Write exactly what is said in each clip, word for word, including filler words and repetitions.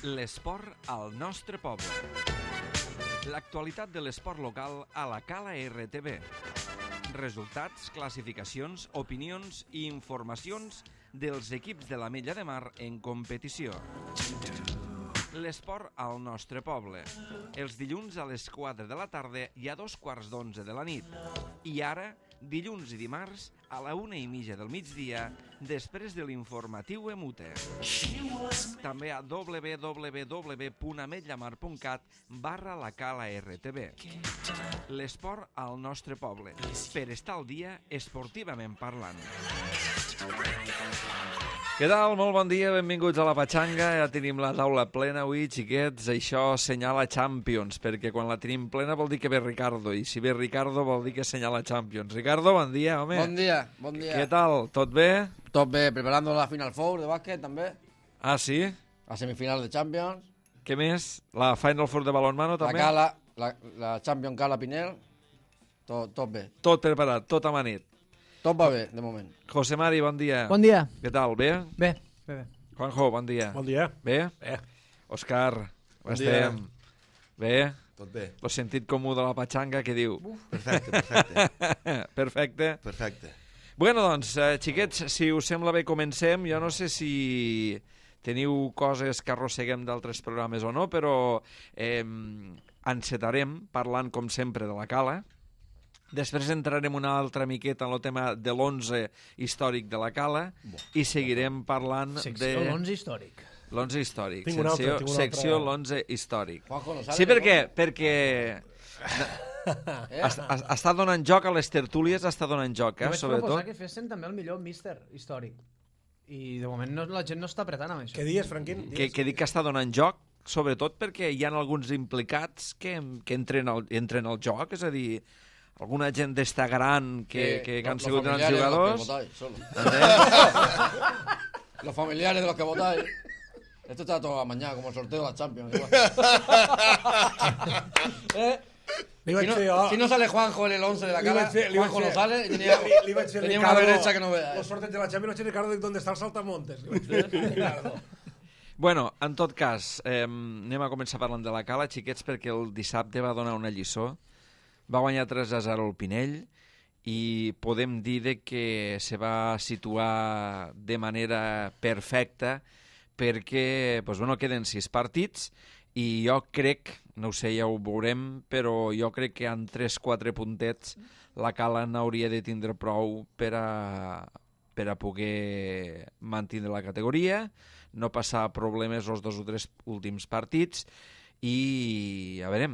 L'esport al nostre poble. L'actualitat de l'esport local a la Cala R T V. Resultats, classificacions, opinions i informacions dels equips de l'Ametlla de Mar en competició. L'esport al nostre poble. Els dilluns a les quatre de la tarda i a dos quarts d'onze de la nit. I ara, dilluns i dimarts, a la una i mitja del migdia, després de l'informatiu Emute. També a w w w punt ametllamar punt cat barra la Cala R T V. L'esport al nostre poble, per estar al dia esportivament parlant. Què tal? Molt bon dia, benvinguts a la Patxanga. Ja tenim la taula plena avui, xiquets. Això senyala Champions, perquè quan la tenim plena vol dir que ve Ricardo, i si ve Ricardo vol dir que senyala Champions. Ricardo, bon dia, home. Bon dia, bon dia. Què tal? Tot bé? Tot bé, preparando la Final Four de bàsquet, també. Ah, sí? La semifinal de Champions. Què més? La Final Four de balonmano, també? La Cala, la, la Champions Cala Pinel. Tot, tot bé. Tot preparat, tot amanit. Tot va bé, de moment. José Mari, bon dia. Bon dia. Què tal, bé? Bé, bé, bé. Juanjo, bon dia. Bon dia. Bé? Bé. Òscar, Bon estem? Bé? Tot bé. Lo sentit comú de la Patxanga, què diu? Perfecte, perfecte. Perfecte. Perfecte. Bueno, doncs, eh, xiquets, si us sembla bé, comencem. Jo no sé si teniu coses que arrosseguem d'altres programes o no, però eh, encetarem parlant, com sempre, de la Cala. Després entrarem una altra miqueta en el tema de l'onze històric de la Cala i seguirem parlant Secció de... l'onze històric. L'onze històric. Tinc una altra, Secció, tinc una secció altra. l'onze històric. Juanjo, no sale, Sí, per què? Juanjo? Perquè Eh? es- es- està donant joc a les tertúlies, està donant joc, Jo eh, vaig proposar sobretot. que fessin també el millor míster històric. I de moment no, la gent no està apretant amb això. Què dies, Franquín? Que, que dic que està donant joc, sobretot perquè hi ha alguns implicats que, que entren, al, entren al joc, és a dir, alguna gent d'esta gran que, que, que han los sigut grans familiares de jugadors. los que votáis, solo. Los familiares de los que votáis. Esto está todo a mañana, como el sorteo de la Champions. Igual. ¿Eh? Li Si vaig no, fer jo... si no sale Juanjo en el once de la li cara, vaig fer- li vaig Juanjo no fer- sale. Y tenía, li, li vaig fer tenía una Ricardo, derecha que no vea. Los sorteos de la Champions, y Ricardo, ¿dónde está el saltamontes? Li vaig fer Ricardo. Bueno, en tot cas, eh, anem a començar parlant de la Cala, xiquets, perquè el dissabte va donar una lliçó. Va guanyar tres a zero el Pinell i podem dir de que se va situar de manera perfecta perquè pues, bueno, queden sis partits i jo crec, no ho sé, ja ho veurem, però jo crec que en tres quatre puntets la Cala n'hauria de tindre prou per a, per a poder mantenir la categoria, no passar problemes els dos o tres últims partits i, a veure,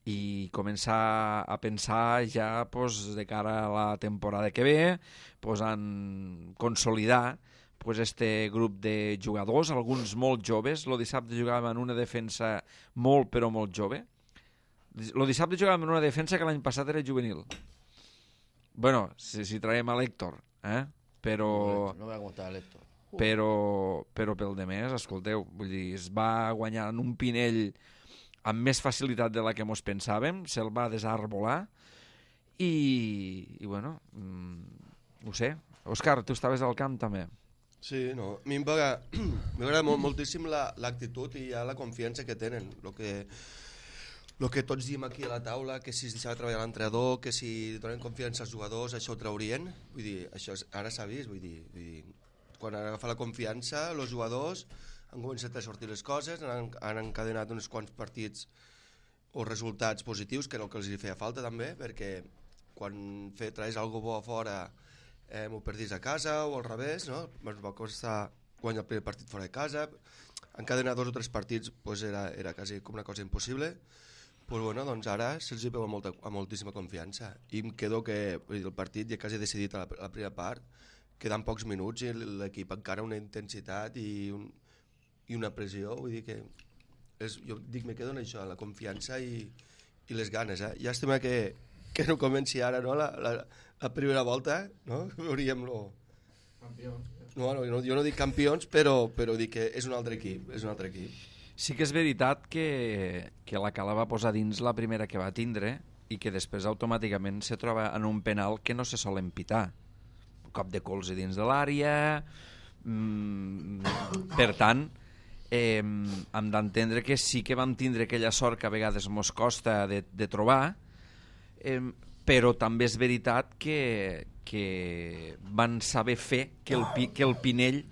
i començar a pensar ja pues, de cara a la temporada que ve, pues, en consolidar pues, este grup de jugadors, alguns molt joves. El dissabte jugàvem en una defensa molt, però molt jove. El dissabte jugàvem en una defensa que l'any passat era juvenil. Bueno, si, si traiem a l'Héctor, eh? però... No vea cómo está el esto. però, però pel de més, escolteu, vull dir, es va guanyar en un Pinell amb més facilitat de la que mos pensàvem, se'l va desarbolar i, i bueno, mm, ho sé. Òscar, tu estaves al camp també. Sí, no, a mi m'agrada molt, moltíssim l'actitud i ja la confiança que tenen. Lo que, lo que tots diem aquí a la taula, que si es deixava treballar l'entrenador, que si donen confiança als jugadors, això ho traurien. Vull dir, això és, ara s'ha vist, vull dir, vull dir, quan han agafat la confiança, els jugadors han començat a sortir les coses, han, han encadenat uns quants partits o resultats positius, que era el que els feia falta també, perquè quan fe, traus alguna bo a fora eh, m'ho perdis a casa o al revés, no? Ens va costar guanyar el primer partit fora de casa, encadenar dos o tres partits pues era, era quasi com una cosa impossible, pues bueno, doncs ara se'ls veu amb, molta, amb moltíssima confiança i em quedo que vull dir, el partit ja quasi decidit a la, a la primera part, queden pocs minuts i l'equip encara una intensitat i, un, i una pressió, vull dir que és, jo dic, me quedo en això, la confiança i, i les ganes, eh? Llàstima que, que no comenci ara, no?, la, la, la primera volta, no?, veuríem lo... No, no, jo no dic campions, però, però dic que és un altre equip, és un altre equip. Sí que és veritat que, que la Cala va posar dins la primera que va tindre i que després automàticament se troba en un penal que no se sol empitar. Un cop de colze dins de l'àrea... Mm, per tant, eh, hem d'entendre que sí que vam tindre aquella sort que a vegades mos costa de, de trobar, eh, però també és veritat que, que van saber fer que el, que el Pinell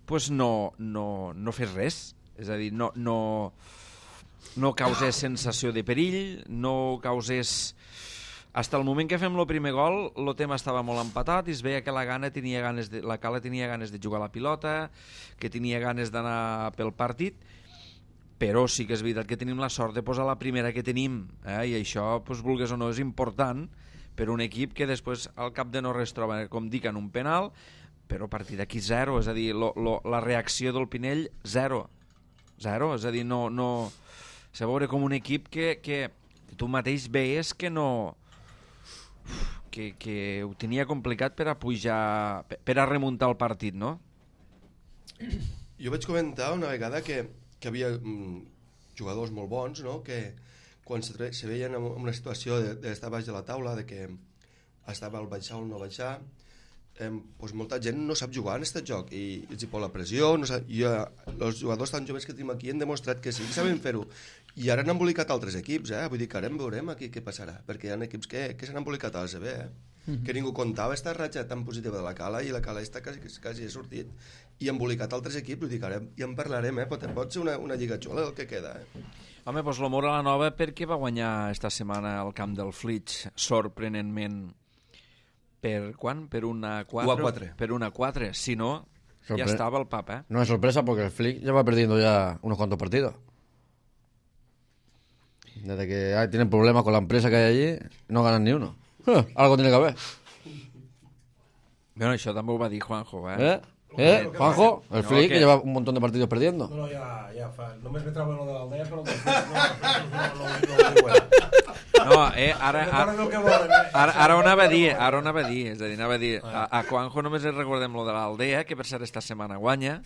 pues no, no, no fes res, és a dir, no, no, no causés sensació de perill, no causés... Hasta el moment que fem el primer gol, el tema estava molt empatat i es veia que la Gana tenia ganes de, la Cala tenia ganes de jugar a la pilota, que tenia ganes d'anar pel partit, però sí que és veritat que tenim la sort de posar la primera que tenim, eh? I això, pues, vulgues o no, és important per un equip que després al cap de no res troba, com dic, en un penal, però a partir d'aquí zero, és a dir, lo, lo, la reacció del Pinell, zero. Zero, és a dir, no... no se veure com un equip que, que tu mateix veies que no... Que, que ho tenia complicat per a pujar, per a remuntar el partit, no? Jo vaig comentar una vegada que, que havia mm, jugadors molt bons, no? Que quan se, se veien en una situació d'estar baix de la taula, de que estava al baixar o no baixar, eh, doncs molta gent no sap jugar en aquest joc i els hi pot la pressió, no sap, i eh, els jugadors tan joves que tenim aquí han demostrat que sí que saben fer-ho. I ara han embolicat altres equips, eh? Vull dir que ara en veurem aquí què passarà, perquè hi ha equips que, que s'han embolicat a la C B, eh? Mm-hmm. Que ningú comptava aquesta ratxa tan positiva de la Cala i la Cala està quasi, quasi ha sortit i embolicat altres equips, vull dir que ara ja en parlarem, eh? Pot, pot ser una, una lliga xula el que queda, eh? Home, doncs l'Amor a la Nova perquè va guanyar esta setmana al camp del Flix sorprenentment per quan? Per una quatre? Per una quatre, si no, Sorpre... ya estaba el papa, ¿eh? No es sorpresa porque el Flick ya va perdiendo ya unos cuantos partidos. Desde que ah, tienen problemas con la empresa que hay allí, no ganan ni uno. Eh, algo tiene que haber. Bueno, això també ho va dir Juanjo, eh? ¿Eh? ¿Eh? Juanjo, el no, Flick que... que lleva un montón de partidos perdiendo. No, no, ja, ja fa... Només me trobo lo de l'Aldea, però no, no, no, no, no, no, eh, ara, ara, ara, ara ho anava a dir, ara ho anava a dir, és a dir, anava a dir, a, a Juanjo només li recordem lo de l'Aldea, que per cert esta setmana guanya,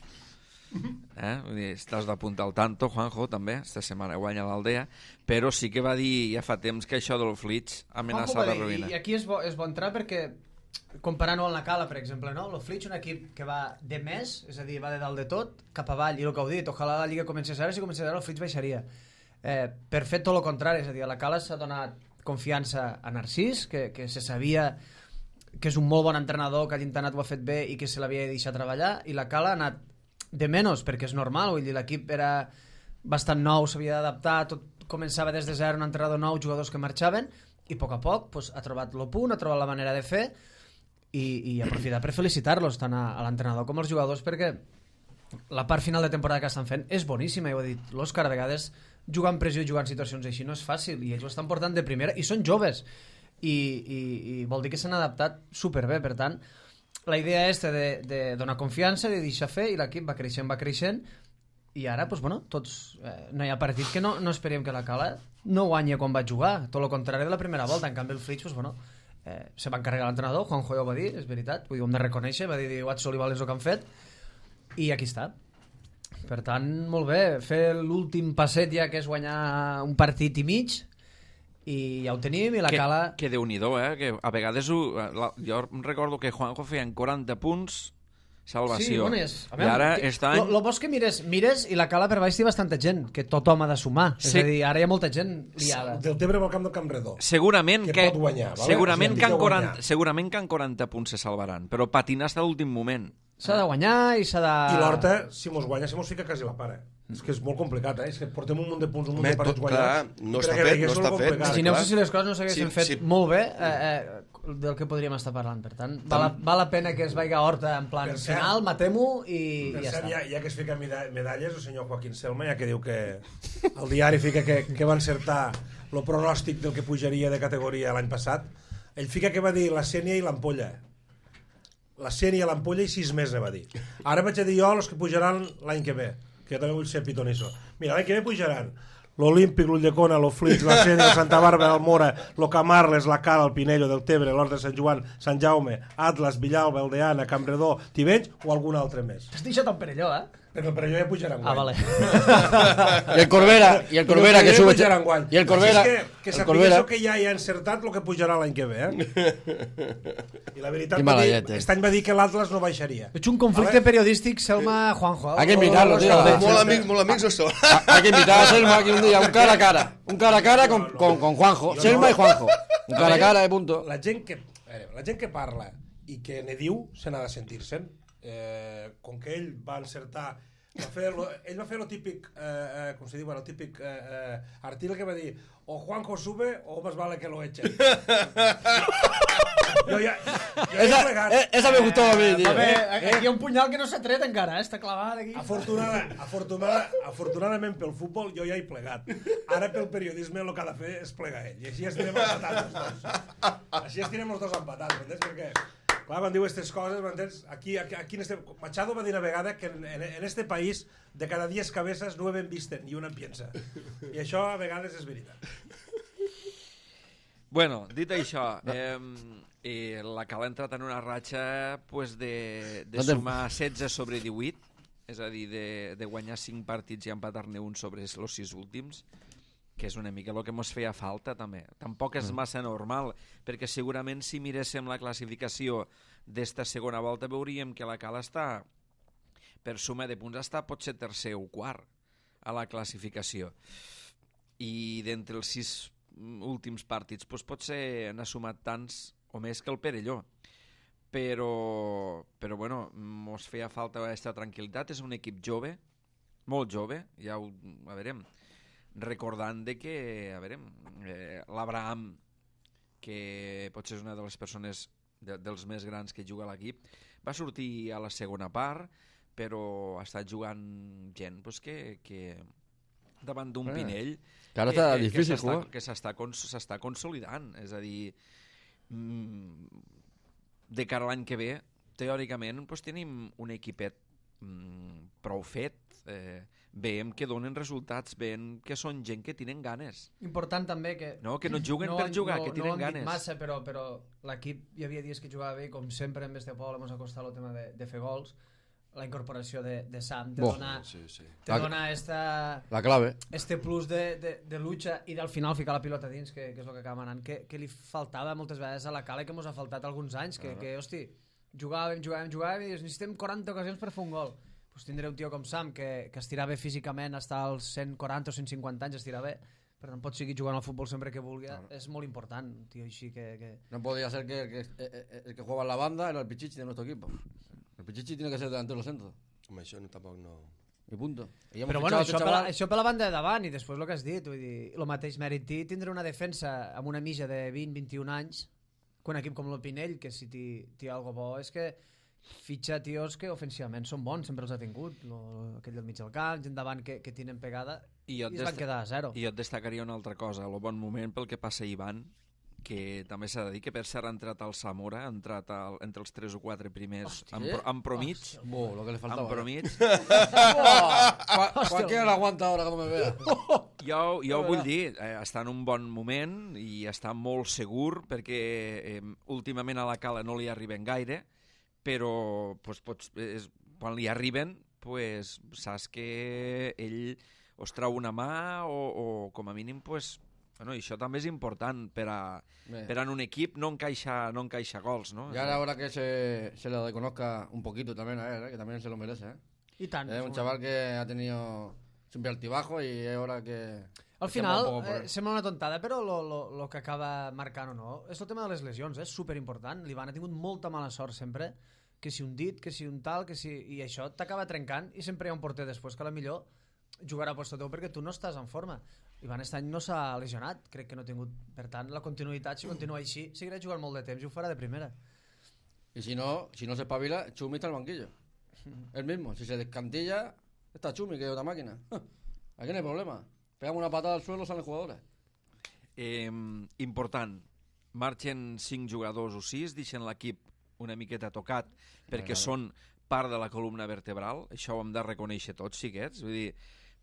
eh? Vull dir, estàs d'apuntar al tanto, Juanjo, també, esta setmana guanya l'Aldea, però sí que va dir ja fa temps que això del Flix amenaça de ruïna. I aquí és bo, és bo entrar perquè comparant-ho amb la Cala, per exemple, no? El Flix, un equip que va de més, és a dir, va de dalt de tot, cap avall, i el que heu dit, ojalà la Lliga comencés ara, si comencés ara el Flix baixaria. Eh, per fer tot el contrari, és a dir, a la Cala s'ha donat confiança a Narcís, que, que se sabia que és un molt bon entrenador, que a l'internat ho ha fet bé i que se l'havia de deixar treballar, i la Cala ha anat de menys, perquè és normal, vull dir, l'equip era bastant nou, s'havia d'adaptar, tot començava des de zero, un entrenador nou, jugadors que marxaven, i a poc a poc pues, ha trobat el punt, ha trobat la manera de fer, i, i aprofitar per felicitar-los tant a, a l'entrenador com als jugadors, perquè la part final de temporada que estan fent és boníssima, ja ho he dit, l'Òscar a vegades jugar en pressió i jugar en situacions així no és fàcil, i ells ho estan portant de primera, i són joves, i, i, i vol dir que s'han adaptat superbé, per tant la idea és de, de donar confiança, de deixar fer, i l'equip va creixent, va creixent, i ara, doncs, bueno, tots, eh, no hi ha partit que no, no esperem que la Cala no guanyi quan va jugar, tot el contrari de la primera volta, en canvi el Flix, doncs, bueno, eh, se va encarregar l'entrenador, Juanjo ja ho va dir, és veritat, vull dir, ho hem de reconèixer, va dir, Watson i Valens el que han fet, i aquí està. Per tant, molt bé, fer l'últim passet ja, que és guanyar un partit i mig, i ja ho tenim, i la que, Cala... Que Déu-n'hi-do, eh? Que a vegades ho, la, jo recordo que Juanjo feien quaranta punts salvació. Sí, bueno, és, a veure, I ara que, està... Lo, lo bo és que mires, mires i la Cala per baix té bastanta gent, que tothom ha de sumar. Sí. És a dir, ara hi ha molta gent liada. Del Tebre va al camp del Camp Redó. Segurament que, que pot guanyar, vale? segurament, o sigui, que en quaranta, segurament que en quaranta punts se salvaran, però patinar fins a l'últim moment. S'ha de guanyar i s'ha de... I l'Horta, si mos guanya, si mos fica quasi la pare. És que és molt complicat, eh? És que portem un munt de punts, un munt de partits guanyats. No està fet, no està fet. Imagineu-vos si les coses no s'haguessin sí, fet sí. molt bé, eh, eh, del que podríem estar parlant. Per tant, val, val la pena que es vagi a Horta en plan cert, final, matem-ho i, i ja cert, està. Ja, ja que es fica medalles, el senyor Joaquín Selma, ja que diu que el diari fica que, que va encertar el pronòstic del que pujaria de categoria l'any passat, ell fica que va dir la Sènia i l'Ampolla. La Sènia i l'Ampolla i sis més, ne va dir. Ara vaig a dir jo els que pujaran l'any que ve, que jo també vull ser pitonisso. Mira, l'any que ve pujaran l'Olímpic, l'Ulldecona, l'Oflix, la Sènia, la Santa Bàrbara, el Mora, el Camarles, la Cala, el Pinello, del Tebre, l'Horta de Sant Joan, Sant Jaume, Atlas, Villalba, Aldeana, Campredó, Tivenys o algun altre més. T'has deixat el Perelló, eh? Però, però jo ja pujarà enguany. Ah, vale. I el Corbera, i el Corbera que sube... pujarà enguany. I el Corbera... Així és que, que sapigués que ja hi ha encertat el que pujarà l'any que ve, eh? I la veritat, va dir, aquest any va dir que l'Atlas no baixaria. Veig un conflicte periodístic, Selma-Juanjo. Hay que invitarlo, tío. Molt amics, molt amics o són. Hay que invitar a Selma aquí un día, un cara a cara. Un cara a cara con, con, con Juanjo. Selma y Juanjo. Un cara a cara de punto. La gent que, la gent que parla i que ne diu se n'ha de sentir-se'n. Eh, com que ell va encertar... Va fer lo, ell va fer el típic, eh, eh, com se diu, el típic eh, eh, article que va dir o Juanjo sube o más vale que lo echen. Jo ja, jo esa, he plegat. Esa me gustó a mí, tío. A veure, aquí hi ha un punyal que no s'ha tret encara, eh? Està clavat aquí. Afortunada, afortunada, afortunadament pel futbol jo ja he plegat. Ara pel periodisme el que ha de fer és plegar ell. I així estirem empatats els dos. Així estirem els dos empatats, m'entens? Perquè, clar, quan diu aquestes coses, m'entens? Aquí, aquí, aquí en este... Machado va dir una vegada que en, en, en este país de cada diez cabezas nueve visten i una piensa. I això a vegades és veritat. Bueno, dit això, eh, eh, la Cal ha entrat en una ratxa pues, de, de sumar setze sobre divuit, és a dir, de, de guanyar cinc partits i empatar-ne un sobre els sis últims, que és una mica el que ens feia falta també. Tampoc és massa normal, perquè segurament si miréssim la classificació d'esta segona volta veuríem que la Cal està, per suma de punts, està potser tercer o quart a la classificació. I d'entre els sis últims partits doncs potser n'ha sumat tants o més que el Perelló. Però, però bueno, mos feia falta aquesta tranquil·litat. És un equip jove, molt jove, ja ho a veurem, recordant de que, a veure, eh, l'Abraham, que potser és una de les persones de, dels més grans que juga a l'equip, va sortir a la segona part, però ha estat jugant gent pues, que, que davant d'un eh, Pinell que ara està que, difícil jugar, que s'està cons, consolidant, és a dir, mm, de cara a l'any que ve, teòricament pues, tenim un equipet mm, prou fet, eh, veiem que donen resultats, veiem que són gent que tenen ganes. Important també que... No, que no juguen no, per jugar, no, que tenen no ganes. No massa, però, però l'equip hi havia dies que jugava bé, com sempre en este poble ens ha costat el tema de, de fer gols. La incorporació de, de Sam te Bo, dona, sí, sí. te La, dona esta, la clave. este plus de, de, de lucha i del final ficar la pilota dins, que, que és el que acaba anant, que, que li faltava moltes vegades a la Cala i que ens ha faltat alguns anys, que, uh -huh. que hosti, jugàvem, jugàvem, jugàvem i necessitem quaranta ocasions per fer un gol. Pues tindré un tio com Sam que, que estirà bé físicament, està als cent quaranta o cent cinquanta anys, estirà bé, per tant pot seguir jugant al futbol sempre que vulgui, uh -huh. és molt important, un tio així que... que... No podría ser que el que, el, el que juega en la banda era el Pichichi de nuestro equipo. El Pichichi tiene que ser delantero centro. Home, això no, tampoc no... I punto. I Però bueno, això, per la, això per la banda de davant i després el que has dit, vull dir, el mateix mèrit té tindre una defensa amb una mitja de vint a vint i un anys, quan un equip com el Pinell, que si té alguna bo és que fitxa tios que ofensivament són bons, sempre els ha tingut, lo, aquell del mig del camp, gent davant que, que tenen pegada i, i es van quedar a zero. I jo et destacaria una altra cosa, el bon moment pel que passa Ivan, que també s'ha de dir que per cert ha entrat al Zamora, ha entrat al, entre els tres o quatre primers amb, amb promig. Bo, lo que le faltaba. Amb promig. Cualquiera la aguanta ahora como me vea. Jo, jo vull dir, eh, està en un bon moment i està molt segur perquè eh, últimament a la Cala no li arriben gaire, però pues, pots, és, quan li arriben pues, saps que ell os trau una mà o, o com a mínim pues, bueno, i això també és important per a, per a en un equip no encaixa, no encaixa gols, ¿no? Y ahora, ahora que se, se le reconozca un poquito también a él, ¿eh? Que también se lo merece, ¿eh? I tant. Es un chaval que ha tenido siempre altibajo y es hora que... Al final, eh, sembla una tontada, però lo, lo, lo que acaba marcant o no és el tema de les lesions, és superimportant. L'Ivan ha tingut molta mala sort sempre, que si un dit, que si un tal, que si... i això t'acaba trencant i sempre hi ha un porter després que a la millor jugarà a posto teu perquè tu no estàs en forma. Ivan aquest any no s'ha lesionat, crec que no ha tingut, per tant, la continuïtat, si continua així, seguirà jugant molt de temps i ho farà de primera. Y si no, si no se espabila, Chumi está al banquillo. El mismo, si se descantilla, está Chumi, que es otra máquina. Aquí no hay problema. Pegamos una patada al suelo, salen jugadores. Eh, important, marxen cinc jugadors o sis, deixen l'equip una miqueta tocat, perquè claro. són part de la columna vertebral, això ho hem de reconèixer tots, xiquets, vull dir,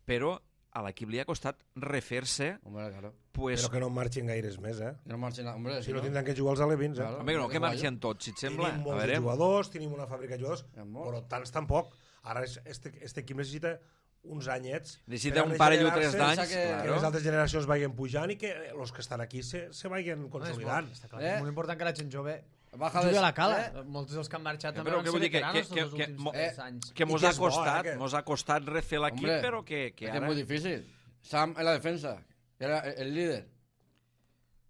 però a l'equip li ha costat refer-se. Hombre, claro. Pues, però que no marxin gaires més, eh? Que no marxin, hombre, si, si no, no tindran que jugar els alevins, eh? Claro. Home, no, que marxen tots, si et sembla. Tenim molts jugadors, tenim una fàbrica de jugadors, però tants tampoc. Ara és- este, este equip necessita uns anyets Necessita per un parell o tres regenerar-se, d'anys, que- que claro. les altres generacions vagin pujant i que els que estan aquí se, se vagin consolidant. Està clar, Eh? és molt important que la gent jove Baja jugui de- a la cala. Eh? Molts dels que han marxat Eh, també però van què ser vull dir? Que- veteranos que- tots els que- últims mo- tres eh, anys. Que I mos que ha és bo, eh, costat, que- mos ha costat refer l'equip, Hombre, però que, que es que ara... es muy difícil. Sam en la defensa, que era el, el líder.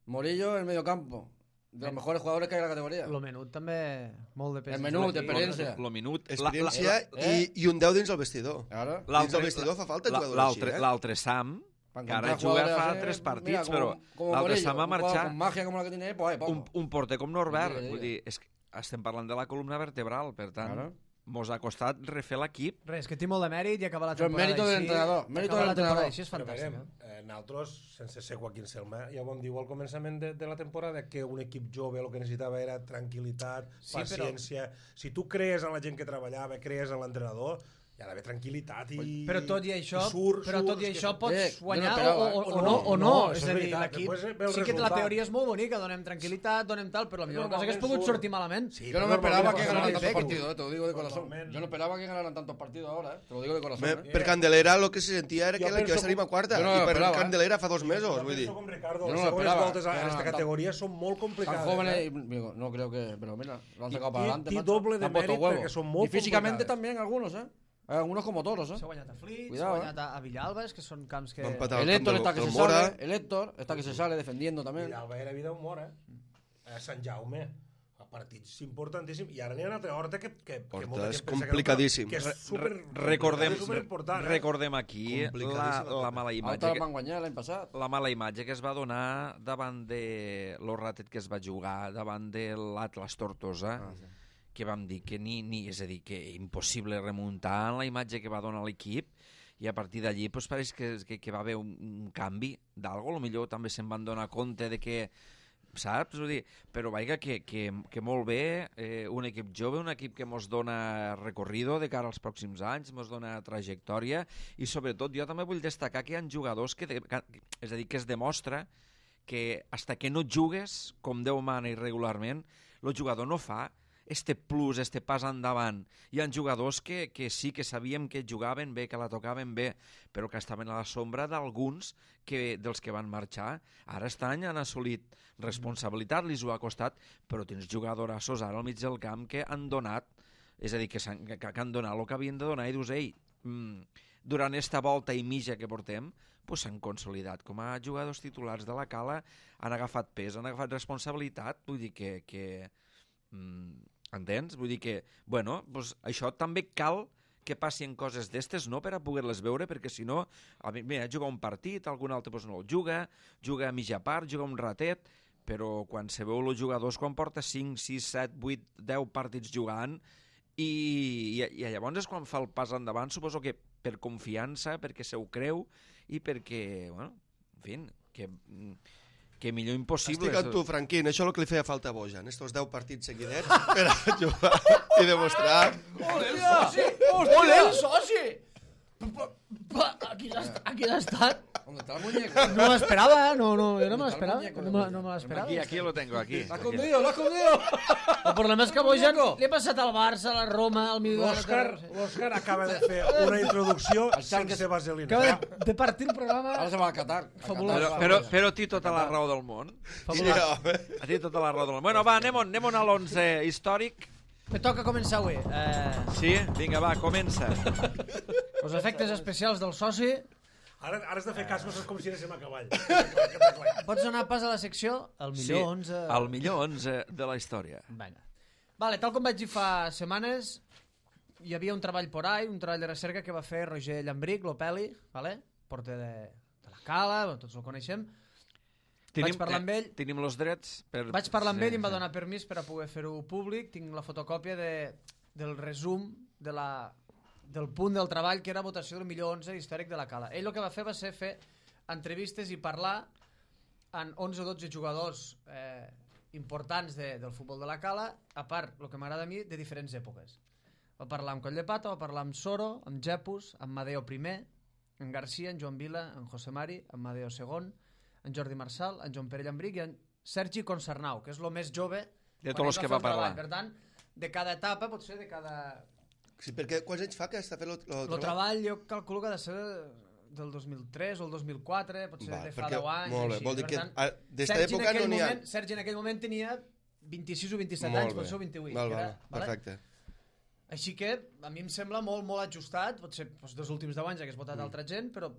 Morillo en el medio campo, de los mejores jugadores que hay en la categoría. Lo menut també, molt de pes. El menut, experiencia. Lo minut... Experiència eh? i, i un deu dins el vestidor. Claro. Dins del vestidor fa falta la- jugador l'altre- així, eh? L'altre Sam, Para que ara encontrar juga jugadores fa así, tres mira, partits, como- però como l'altre Morillo, Sam va un jugador marxar con magia como la que tiene, pues ahí, un, vamos. un porter com Norbert. Sí, sí, Vull sí. dir, és que estem parlant de la columna vertebral, per tant, Claro. mos ha costat refer l'equip. Res, que té molt de mèrit i acabar la Això és temporada mèrit del així. entrenador, mèrit acabar del la temporada entrenador. així és Però fantàstic. veurem, eh? eh, nosaltres, sense ser Joaquín Selma, ja ho vam dir al començament de, de la temporada, que un equip jove el que necessitava era tranquil·litat, Sí, paciència... Si tu crees en la gent que treballava, crees en l'entrenador, hi ha d'haver tranquil·litat i... Però tot i això, i surt, però tot i surt, això que- pots Eh, jo no guanyar o, esperava, o, eh? o, O no, no, o no. no, és això a és dir, veritat, l'equip... després ve el Sí que la resultat. teoria és molt bonica, donem tranquil·litat, donem tal, però potser Normalment hagués pogut surt. sortir malament. Sí, Yo no però me esperaba normalment que passa ganaran això. tantos partidos, eh, te lo digo de corazón. Totalment. Yo no esperaba que ganaran tantos partidos ahora, eh, te lo digo de corazón. Me, eh. per Candelera el que se sentia era Jo que l'equip penso estaria a quarta, Jo no i per l'esperava, eh? Candelera fa dos mesos, Jo vull dir. penso com Ricardo, Jo no les lo segones esperaba, voltes que en esta ganaran categoria són molt Tan complicades. jóvenes, eh? y, digo, no creo que, pero mira, lo han Y- sacado y- para adelante. y macho. doble de Han puesto mérito huevos. porque son muy Y físicamente complicadas. también algunos, ¿eh? Hay algunos como toros, ¿eh? S'ha guanyat a Flix, s'ha Cuidado, guanyat a, a Villalbes, que són camps que... Va empatar El al camp Héctor del- está que del se Mora. sale, el Héctor está que se sale defendiendo también. Villalba era vida humor, eh? A Sant Jaume, a partits importantíssims. I ara n'hi ha una altra horta que, que, que Horta molta és gent pensa que no, complicadíssim. Que és Re- super, recordem, és superimportant, eh? recordem aquí la, Complicadíssima. la mala imatge Altres que, van guanyar l'any passat. la mala imatge que es va donar davant de lo ratet que es va jugar, davant de l'Atlas Tortosa, Ah, sí. que vam dir que ni, ni, és a dir, que impossible remuntar en la imatge que va donar l'equip, i a partir d'allí pues, pareix que, que, que va haver un, un canvi d'algo, potser també se'n van donar compte de que, saps? Vull dir, però vaja, que, que, que molt bé, eh, un equip jove, un equip que mos dona recorrido de cara als pròxims anys, mos dona trajectòria, i sobretot jo també vull destacar que hi ha jugadors que, de, que és a dir, que es demostra que hasta que no jugues com Déu mana i regularment, el jugador no fa este plus, este pas endavant. Hi ha jugadors que, que sí que sabíem que jugaven bé, que la tocaven bé, però que estaven a la sombra d'alguns que, dels que van marxar. Ara estan, han assolit responsabilitat, li ho ha costat, però tens jugadorassos ara al mig del camp que han donat, és a dir, que, han, que, que han donat el que havien de donar i dius, ei, mm, durant esta volta i mitja que portem, pues s'han consolidat com a jugadors titulars de la Cala, han agafat pes, han agafat responsabilitat, vull dir que... que mm, entens? Vull dir que, bueno, pues això també cal que passin coses d'estes, no per a poder-les veure, perquè si no, a mi, mira, juga un partit, algun altre pues, no el juga, juga a mitja part, juga un ratet, però quan se veu els jugadors, quan porta cinc, sis, set, vuit, deu partits jugant, i, i, i llavors és quan fa el pas endavant, suposo que per confiança, perquè se ho creu, i perquè, bueno, en fi, que... que millor impossible. Estic amb tu, Franquín, això és el que li feia falta a Bojan, estos deu partits seguidets per a jugar i demostrar... Ole, el soci! Ole, el soci! Aquí has, aquí has estat. ¿Dónde está el muñeco? No m'esperava, no, no, jo no me ¿Dónde está el l'esperava. muñeco No, de me- Bojan? no me l'esperava. Aquí, aquí lo tengo, aquí. ¡Lo ha aquí. escondido, lo ha escondido! El problema és que Bojan li ha passat al Barça, a la Roma, al Midland... L'Òscar l'Òscar acaba de fer una introducció El Xarques- sense vaselina. Acaba de, de partir el programa... Ahora se va a Qatar. A Fabuloso. Qatar. Però, però, però té tota la raó del món. Sí, Fabulós. home. A ti tota la raó del món. Bueno, va, anem, anem a l'onze històric. Me toca començar avui. Eh, Sí? Vinga, va, comença. els efectes especials del soci. Ara, ara has de fer cas, no és com si anéssim a cavall. Pots donar pas a la secció? El millor Sí, onze... el millor onze de la història. Vinga. Vale, tal com vaig dir fa setmanes, hi havia un treball por ahí, un treball de recerca que va fer Roger Llambric, l'Opeli, vale? Porter de, de la Cala, bueno, tots el coneixem. Vaig parlar amb ell. Eh, tenim els drets per... Vaig parlar amb Sí, ell i em va sí. donar permís per a poder fer-ho públic. Tinc la fotocòpia de, del resum de la, del punt del treball, que era votació del millor onze històric de la Cala. Ell el que va fer va ser fer entrevistes i parlar amb onze o dotze jugadors eh, importants de, del futbol de la Cala, a part, el que m'agrada a mi, de diferents èpoques. Va parlar amb Coll de Pata, va parlar amb Soro, amb Jepus, amb Madeo primer, amb Garcia, amb Joan Vila, amb José Mari, amb Madeo segon, en Jordi Marçal, en Joan Pere Llambric i en Sergi Consarnau, que és el més jove De quan tots els ell que fer va el treball. parlar. Per tant, de cada etapa, potser de cada Sí, perquè quants anys fa que està fent el El treball jo calculo que ha de ser del dos mil tres o el dos mil quatre, potser Va, de fa perquè- deu anys. molt bé, així. vol dir Per que, tant, ah, des Sergi d'època en aquell no n'hi ha. moment- Sergi en aquell moment tenia vint-i-sis o vint-i-set Molt anys, bé. potser vint-i-vuit. Val, que val, era, vale? perfecte. Així que a mi em sembla molt, molt ajustat, potser doncs, dels últims deu anys hagués votat Mm. altra gent, però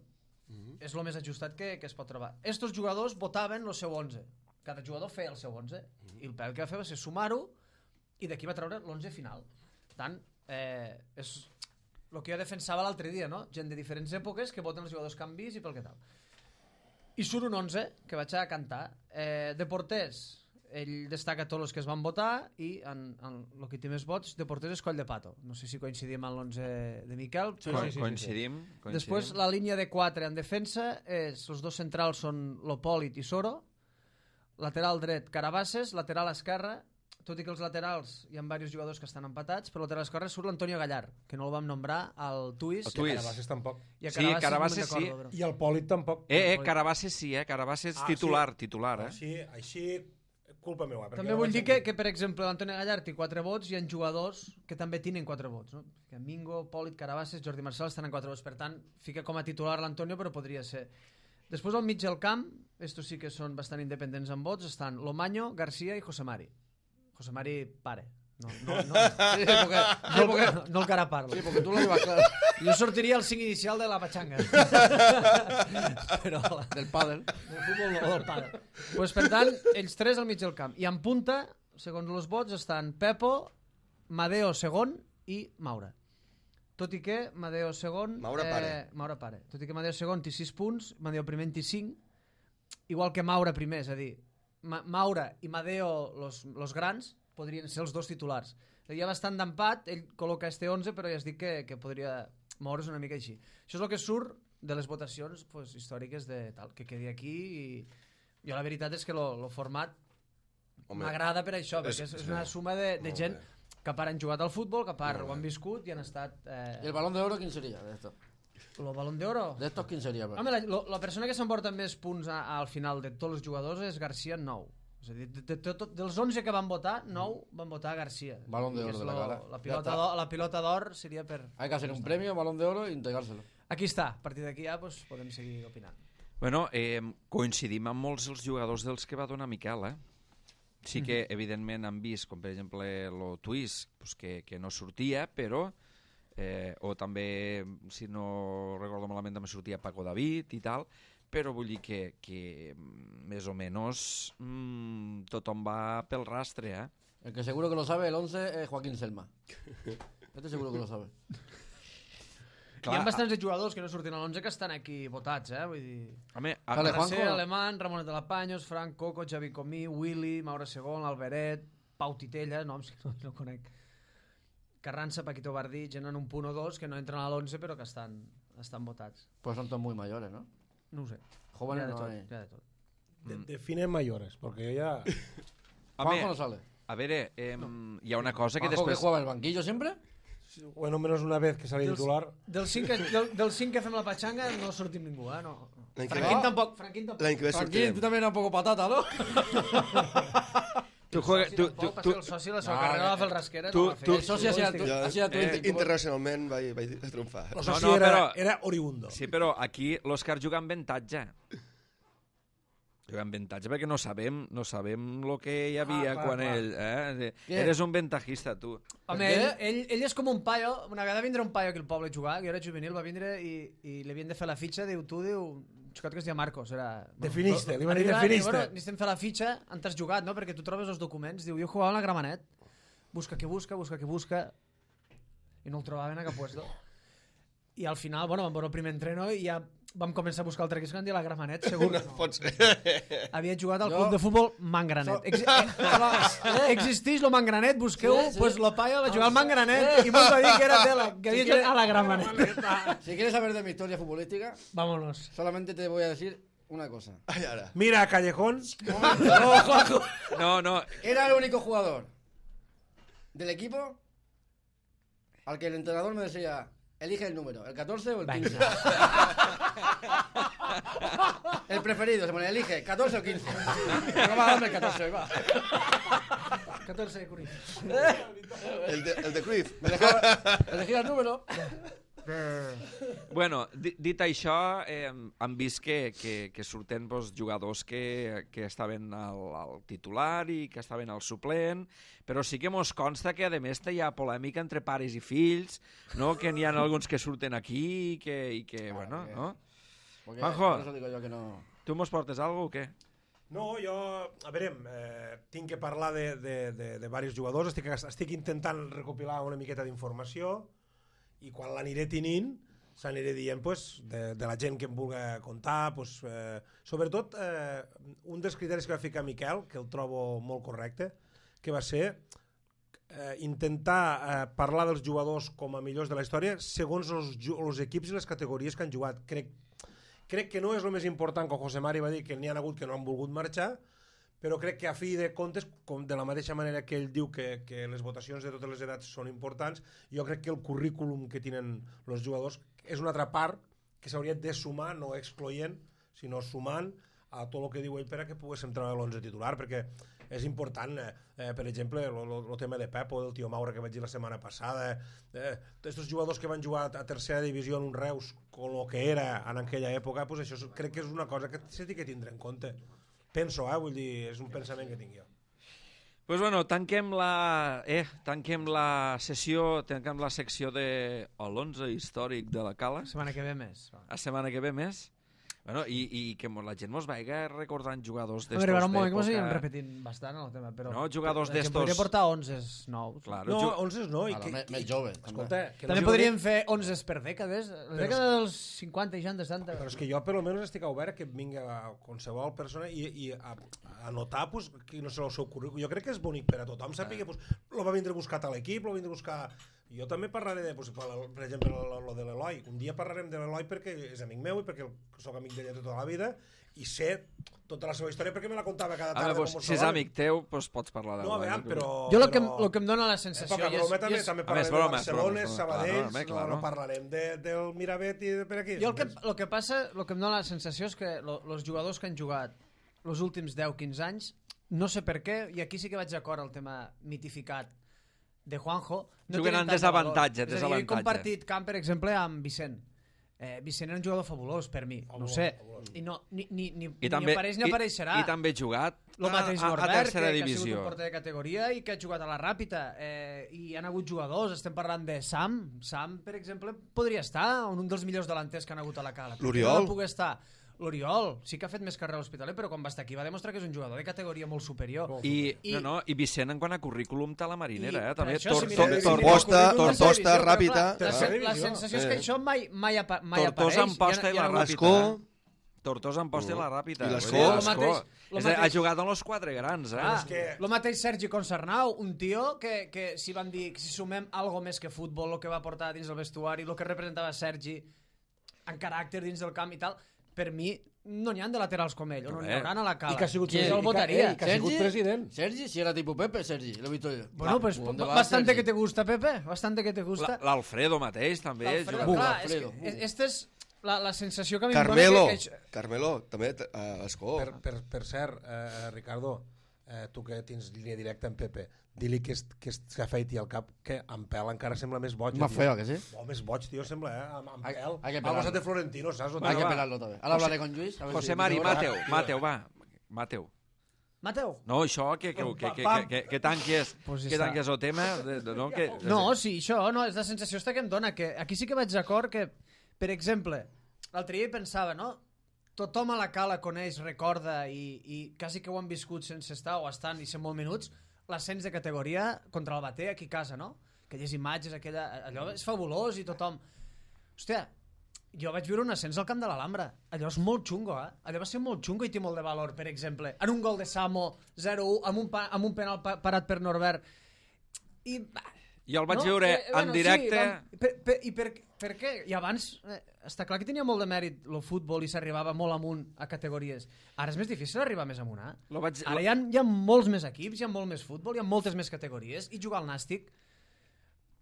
Mhm. és el més ajustat que, que es pot trobar. Estos jugadors votaven el seu onze. Cada jugador feia el seu onze. Mm. I el Pep el que va fer va ser sumar-ho i d'aquí va treure l'onze final. Per tant, eh, és el que jo defensava l'altre dia, no? Gent de diferents èpoques que voten els jugadors que han vist i pel que tal. I surt un onze que vaig a cantar. Eh, de porters, ell destaca tots els que es van votar i en, en el que té més vots de porters és Coll de Pato. No sé si coincidim amb l'onze de Miquel. Sí, Co sí, sí, sí, coincidim, coincidim. Després, la línia de quatre en defensa és, els dos centrals són Lopòlit i Soro, lateral dret Carabasses, lateral esquerre, tot i que els laterals hi ha diversos jugadors que estan empatats, però lateral esquerre surt l'Antonio Gallar, que no el vam nombrar, al Tuis. El Tuis. Carabasses tampoc. I a Sí, Carabasses, Carabasses no me'n sí. recordo, però- I el Pòlit tampoc. Eh, eh, Carabasses sí, eh? Carabasses Ah, titular, sí. titular, eh? Així, així, culpa meva. perquè També no vull vaig dir que, sentir. que per exemple, l'Antonio Gallar té quatre vots i hi ha jugadors que també tenen quatre vots. No? Que Mingo, Pòlit, Carabasses, Jordi Marçal estan en quatre vots. Per tant, fica com a titular l'Antonio, però podria ser. Després, al mig del camp, estos sí que són bastant independents en vots, estan Lomaño, García i José Mari. José Mari, pare. No, no, no, Sí, porque, sí, no, porque, no, no el que ara parlo. sí, porque tú lo llevas claro. Jo sortiria el cinc inicial de la pachanga. Però Del pádel. del futbol o del pare. Pues, per tant, ells tres al mig del camp. I en punta, segons els vots, estan Pepo, Madeo segon i Maura. Tot i que Madeo segon... Maura pare. Maura pare. Tot i que Madeo segon té sis punts, Madeo primer en té cinc, igual que Maura primer, és a dir, Ma Maura i Madeo, los, los grans, podrien ser els dos titulars. Hi ha bastant d'empat, ell col·loca este onze, però ja es dic que, que podria moure's una mica així. Això és el que surt de les votacions pues, històriques de tal, que quedi aquí i jo la veritat és que el format Home, m'agrada per això, és- perquè és, és sí. una suma de, de Molt gent bé. que a part han jugat al futbol, que a part Molt ho han bé. viscut i han estat... Eh, ¿Y el balón de oro quién sería de estos? el Balón d'Oro? ¿De estos quién sería? Home, la, lo- la persona que s'emporta més punts a, al final de tots els jugadors és García en nou. És a dir, de, de, de, de, dels onze que van votar, nou van votar a García. Balón de Que oro és de la lo- gala. La Ya pilota está. d'or- la pilota d'or seria per... Hay que hacer un premio, balón de oro, y entregárselo. Aquí està, a partir d'aquí ja pues, podem seguir opinant. Bueno, eh, coincidim amb molts dels jugadors dels que va donar Miquel, eh? Sí que, evidentment, han vist, com per exemple, el Twist, pues, que, que no sortia, però... Eh, o també, si no recordo malament, també sortia Paco David i tal, però vull dir que, que més o menys mmm, tothom va pel rastre, eh? El que seguro que lo sabe, el once, es Joaquín Selma. Este seguro que lo sabe. Hi ha bastants de jugadors que no surten a l'onze que estan aquí votats, eh? Vull dir... Home, Vale, a, Juanjo. Juanjo, Alemán, Ramon de la Paños, Frank Coco, Xavi Comí, Willy, Maura Segón, Alberet, Pau Titella, noms que no, no conec. Carranza, Paquito Bardí, gent en un punt o dos que no entren a l'onze però que estan, estan votats. Pues son todos muy mayores, ¿no? No ho sé. Jóvenes Hi ha de no tot, hay. hi ha de tot. De, define mayores, porque ya... home, Juanjo no sale. a veure, eh, hi ha una cosa que Juanjo que després... jugaba el banquillo siempre. Bueno, menos una vez que salí Dels, titular. del, cinc que, del, del cinc que fem la patxanga no sortim ningú, eh? No. L'any que Franquín ve- tampoc, Franquín tampoc. L'any que ve Tranquilo, sortirem. tú también eras un poco patata, ¿no? Tu, juegues, tu, tu, Tampoc, tu, el soci la seva No, carrera no, va fer el rasquera. tu- no va fer. tu- El socio hacía tu, Jo, hacía tu eh, Inti, como- internacionalment vaig, vaig triomfar. O No, sea, sí, no, era, però- era oriundo. sí, però aquí l'Òscar juga amb avantatge. Juga amb avantatge perquè no sabem, no sabem el que hi havia Ah, clar, quan clar. ell... Eh? Què? Eres un ventajista, tu. Home, Per què? ell, ell, ell és com un paio, una vegada vindre un paio aquí al poble a jugar, que jo era juvenil, va vindre i, i li havien de fer la fitxa, diu, tu, diu, un xicot que es deia Marcos, era... Definiste, li van dir Arriba, definiste. diu, Bueno, necessitem fer la fitxa, on t'has jugat, no? Perquè tu trobes els documents, diu, jo jugava en la Gramenet, busca que busca, busca que busca, i no el trobaven a cap puesto. I al final, bueno, vam veure el primer entreno i ja vam començar a buscar altre equip que van dir la Gramenet, segur. No pot ser. Havia jugat al Jo- club de futbol Mangranet. So- Ex eh, existeix lo Mangranet, busqueu, Sí, sí. pues lo paio va jugar al Mangranet i mos va dir que era de la, que havia Si jugat quiere- a la Gramenet. Si quieres saber de mi historia futbolística, Vámonos. solamente te voy a decir una cosa. Ai, ara. Mira, Callejón. No, Juanjo. No, no, Era el único jugador del equipo al que el entrenador me decía, elige el número, el catorce o el quince. El preferido, se pone, elige, catorce o quince. No, va, dame el catorce, va. catorce de Cruyff. El de, el de Cruyff. Elegir el número. Bueno, di- dit això, eh, hem vist que, que, que surten pues, jugadors que, que estaven al, al titular i que estaven al suplent, però sí que mos consta que, a més, hi ha polèmica entre pares i fills, no? Que n'hi ha alguns que surten aquí i que, i que bueno, no? Porque, Juanjo. por eso digo yo que no... Tu mos portes alguna cosa o què? No, jo, a veure, eh, tinc que parlar de, de, de, de diversos jugadors, estic, estic intentant recopilar una miqueta d'informació i quan l'aniré tenint s'aniré dient pues, de, de la gent que em vulgui contar, pues, eh, sobretot eh, un dels criteris que va ficar Miquel, que el trobo molt correcte, que va ser eh, intentar eh, parlar dels jugadors com a millors de la història segons els, els equips i les categories que han jugat. Crec Crec que no és el més important, com José Mari va dir, que n'hi ha hagut que no han volgut marxar, però crec que a fi de comptes, com de la mateixa manera que ell diu que, que les votacions de totes les edats són importants, jo crec que el currículum que tenen els jugadors és una altra part que s'hauria de sumar, no excloent, sinó sumant a tot el que diu ell per a que poguéssim treure l'onze titular, perquè és important, eh, eh, per exemple, el tema de Pepo, del tio Maura que vaig dir la setmana passada, eh, aquests jugadors que van jugar a tercera divisió en un Reus, com el que era en aquella època, pues això crec que és una cosa que s'ha de tindre en compte. Penso, eh, vull dir, és un pensament que tinc jo. Pues bueno, tanquem la, eh, tanquem la sessió, tanquem la secció de l'onze històric de la Cala. La setmana que ve més. Va. La setmana que ve més. Bueno, i, i que la gent mos vaiga recordant jugadors A d'estos veure, ara un moment que mos d'època. anirem repetint bastant el tema, però... No, jugadors la gent d'estos- podria portar onze nous. Claro, No, ju- onze no. I Ara, que, més- i- més jove, Escolta, que També no podríem fer onze per dècades. La Però dècada dels cinquanta, seixanta, setanta... Però és que jo per almenys estic obert que vinga a qualsevol persona i, i a, a notar pues, que no sé el seu currículum. Jo crec que és bonic per a tothom, sàpiga, pues, lo va vindre a buscar a l'equip, lo va vindre a buscar... Jo també parlaré, de, pues, per exemple, lo, lo de l'Eloi. Un dia parlarem de l'Eloi perquè és amic meu i perquè sóc amic d'ella tota la vida i sé tota la seva història perquè me la contava cada A tarda. veure, pues, si és amic teu, pues pots parlar de No, a veure, però... Jo el que, però... el que em dona la sensació... Poca i és- broma, també, i és- també A més, parlarem de bromes, Barcelona, bromes, bromes, Sabadells, claro, home, claro. no, no parlarem de, del Miravet i de per aquí. Jo el que, el que passa, el que em dona la sensació és que els jugadors que han jugat els últims deu quinze anys, no sé per què, i aquí sí que vaig d'acord al tema mitificat de Juanjo, no Juguen tenen en tant de desavantatge, valor. És a dir, jo he desavantatge. compartit camp, per exemple, amb Vicent. Eh, Vicent era un jugador fabulós per mi, no ho sé. I no, ni, ni, ni, I ni també, apareix ni i, apareixerà. I també ha jugat Lo mateix a, a, a Norbert, que, tercera que ha sigut divisió. un porter de categoria i que ha jugat a la Ràpita. Eh, I han hagut jugadors, estem parlant de Sam. Sam, per exemple, podria estar en un dels millors delanters que han hagut a la Cala. L'Oriol. No pugui estar. L'Oriol sí que ha fet més carrera a l'Hospitalet, però quan va estar aquí va demostrar que és un jugador de categoria molt superior. I, I- no, no, i Vicent en quant a currículum té la marinera, I eh? També per això, tor, si tor, mireu- tor, si mireu el Tortosa, currículum de Tortosa, televisió, però Ràpita. clar, La, Tercera la divisió. sensació és Eh. que això mai, mai, apa, mai Tortosa apareix. en posta i ha- la ha hagut- Ràpita. Escó. Tortosa en posta i la Ràpita. I l'Escó. Vull dir, Lo mateix- lo És a dir, ha mateix- jugat en els quatre grans, eh? Ah, és que- lo mateix Sergi Concernau, un tio que, que si van dir que si sumem algo més que futbol, el que va portar dins del vestuari, el que representava Sergi en caràcter dins del camp i tal, per mi no n'hi ha de laterals com ell, o no n'hi Bé. haurà a la Cala. I que ha sigut Qui president. el votaria. I que ha sigut president. Sergi, si era tipo Pepe, Sergi, lo he visto yo. Bueno, pues ¿Dónde va bastante Sergi? que te gusta, Pepe, bastante que te La- gusta. L'Alfredo mateix, també. L'Alfredo, juga- clar, és Alfredo, que, és, esta és la, la sensació que a mi Carmelo. em dona que, que... Carmelo, també, uh, Escó. Per, per, per cert, eh, Ricardo, eh, tu que tens línia directa amb Pepe, di-li que, es- que es- que afeiti el cap, que amb pèl encara sembla més boig. Más tio. feo, que sí. Oh, més boig, tio, sembla, eh? Amb, amb Hay- pèl. hay que Ha pelarlo. passat de Florentino, saps? Hay que va. pelarlo también. Ahora hablaré con Luis. a ver José si- Mari, si- Mateu, tio. Mateu, va. Mateu. Mateu? No, això, que, que, que, que, que, que, que tanques, Pues ja que està. tanques el tema. De, de, no, que, No, sí, això, no, és la sensació esta que em dona, que aquí sí que vaig d'acord que, per exemple, l'altre dia hi pensava, no? Tothom a la Cala coneix, recorda i, i quasi que ho han viscut sense estar o estant i ser molt minuts, l'ascens de categoria contra el Bater aquí a casa, no? Aquelles imatges, aquella, allò és fabulós i tothom... Hòstia, jo vaig viure un ascens al camp de l'Alhambra. Allò és molt xungo, eh? Allò va ser molt xungo i té molt de valor, per exemple. En un gol de Samo, zero u, amb un, pa, amb un penal pa, parat per Norbert. I... bah, Jo el vaig no? veure Eh, en directe... Sí, vam, per, per, I per, per què? I abans, eh, està clar que tenia molt de mèrit el futbol i s'arribava molt amunt a categories. Ara és més difícil arribar més amunt, eh? Lo vaig, Ara hi ha, hi ha molts més equips, hi ha molt més futbol, hi ha moltes més categories, i jugar al Nàstic,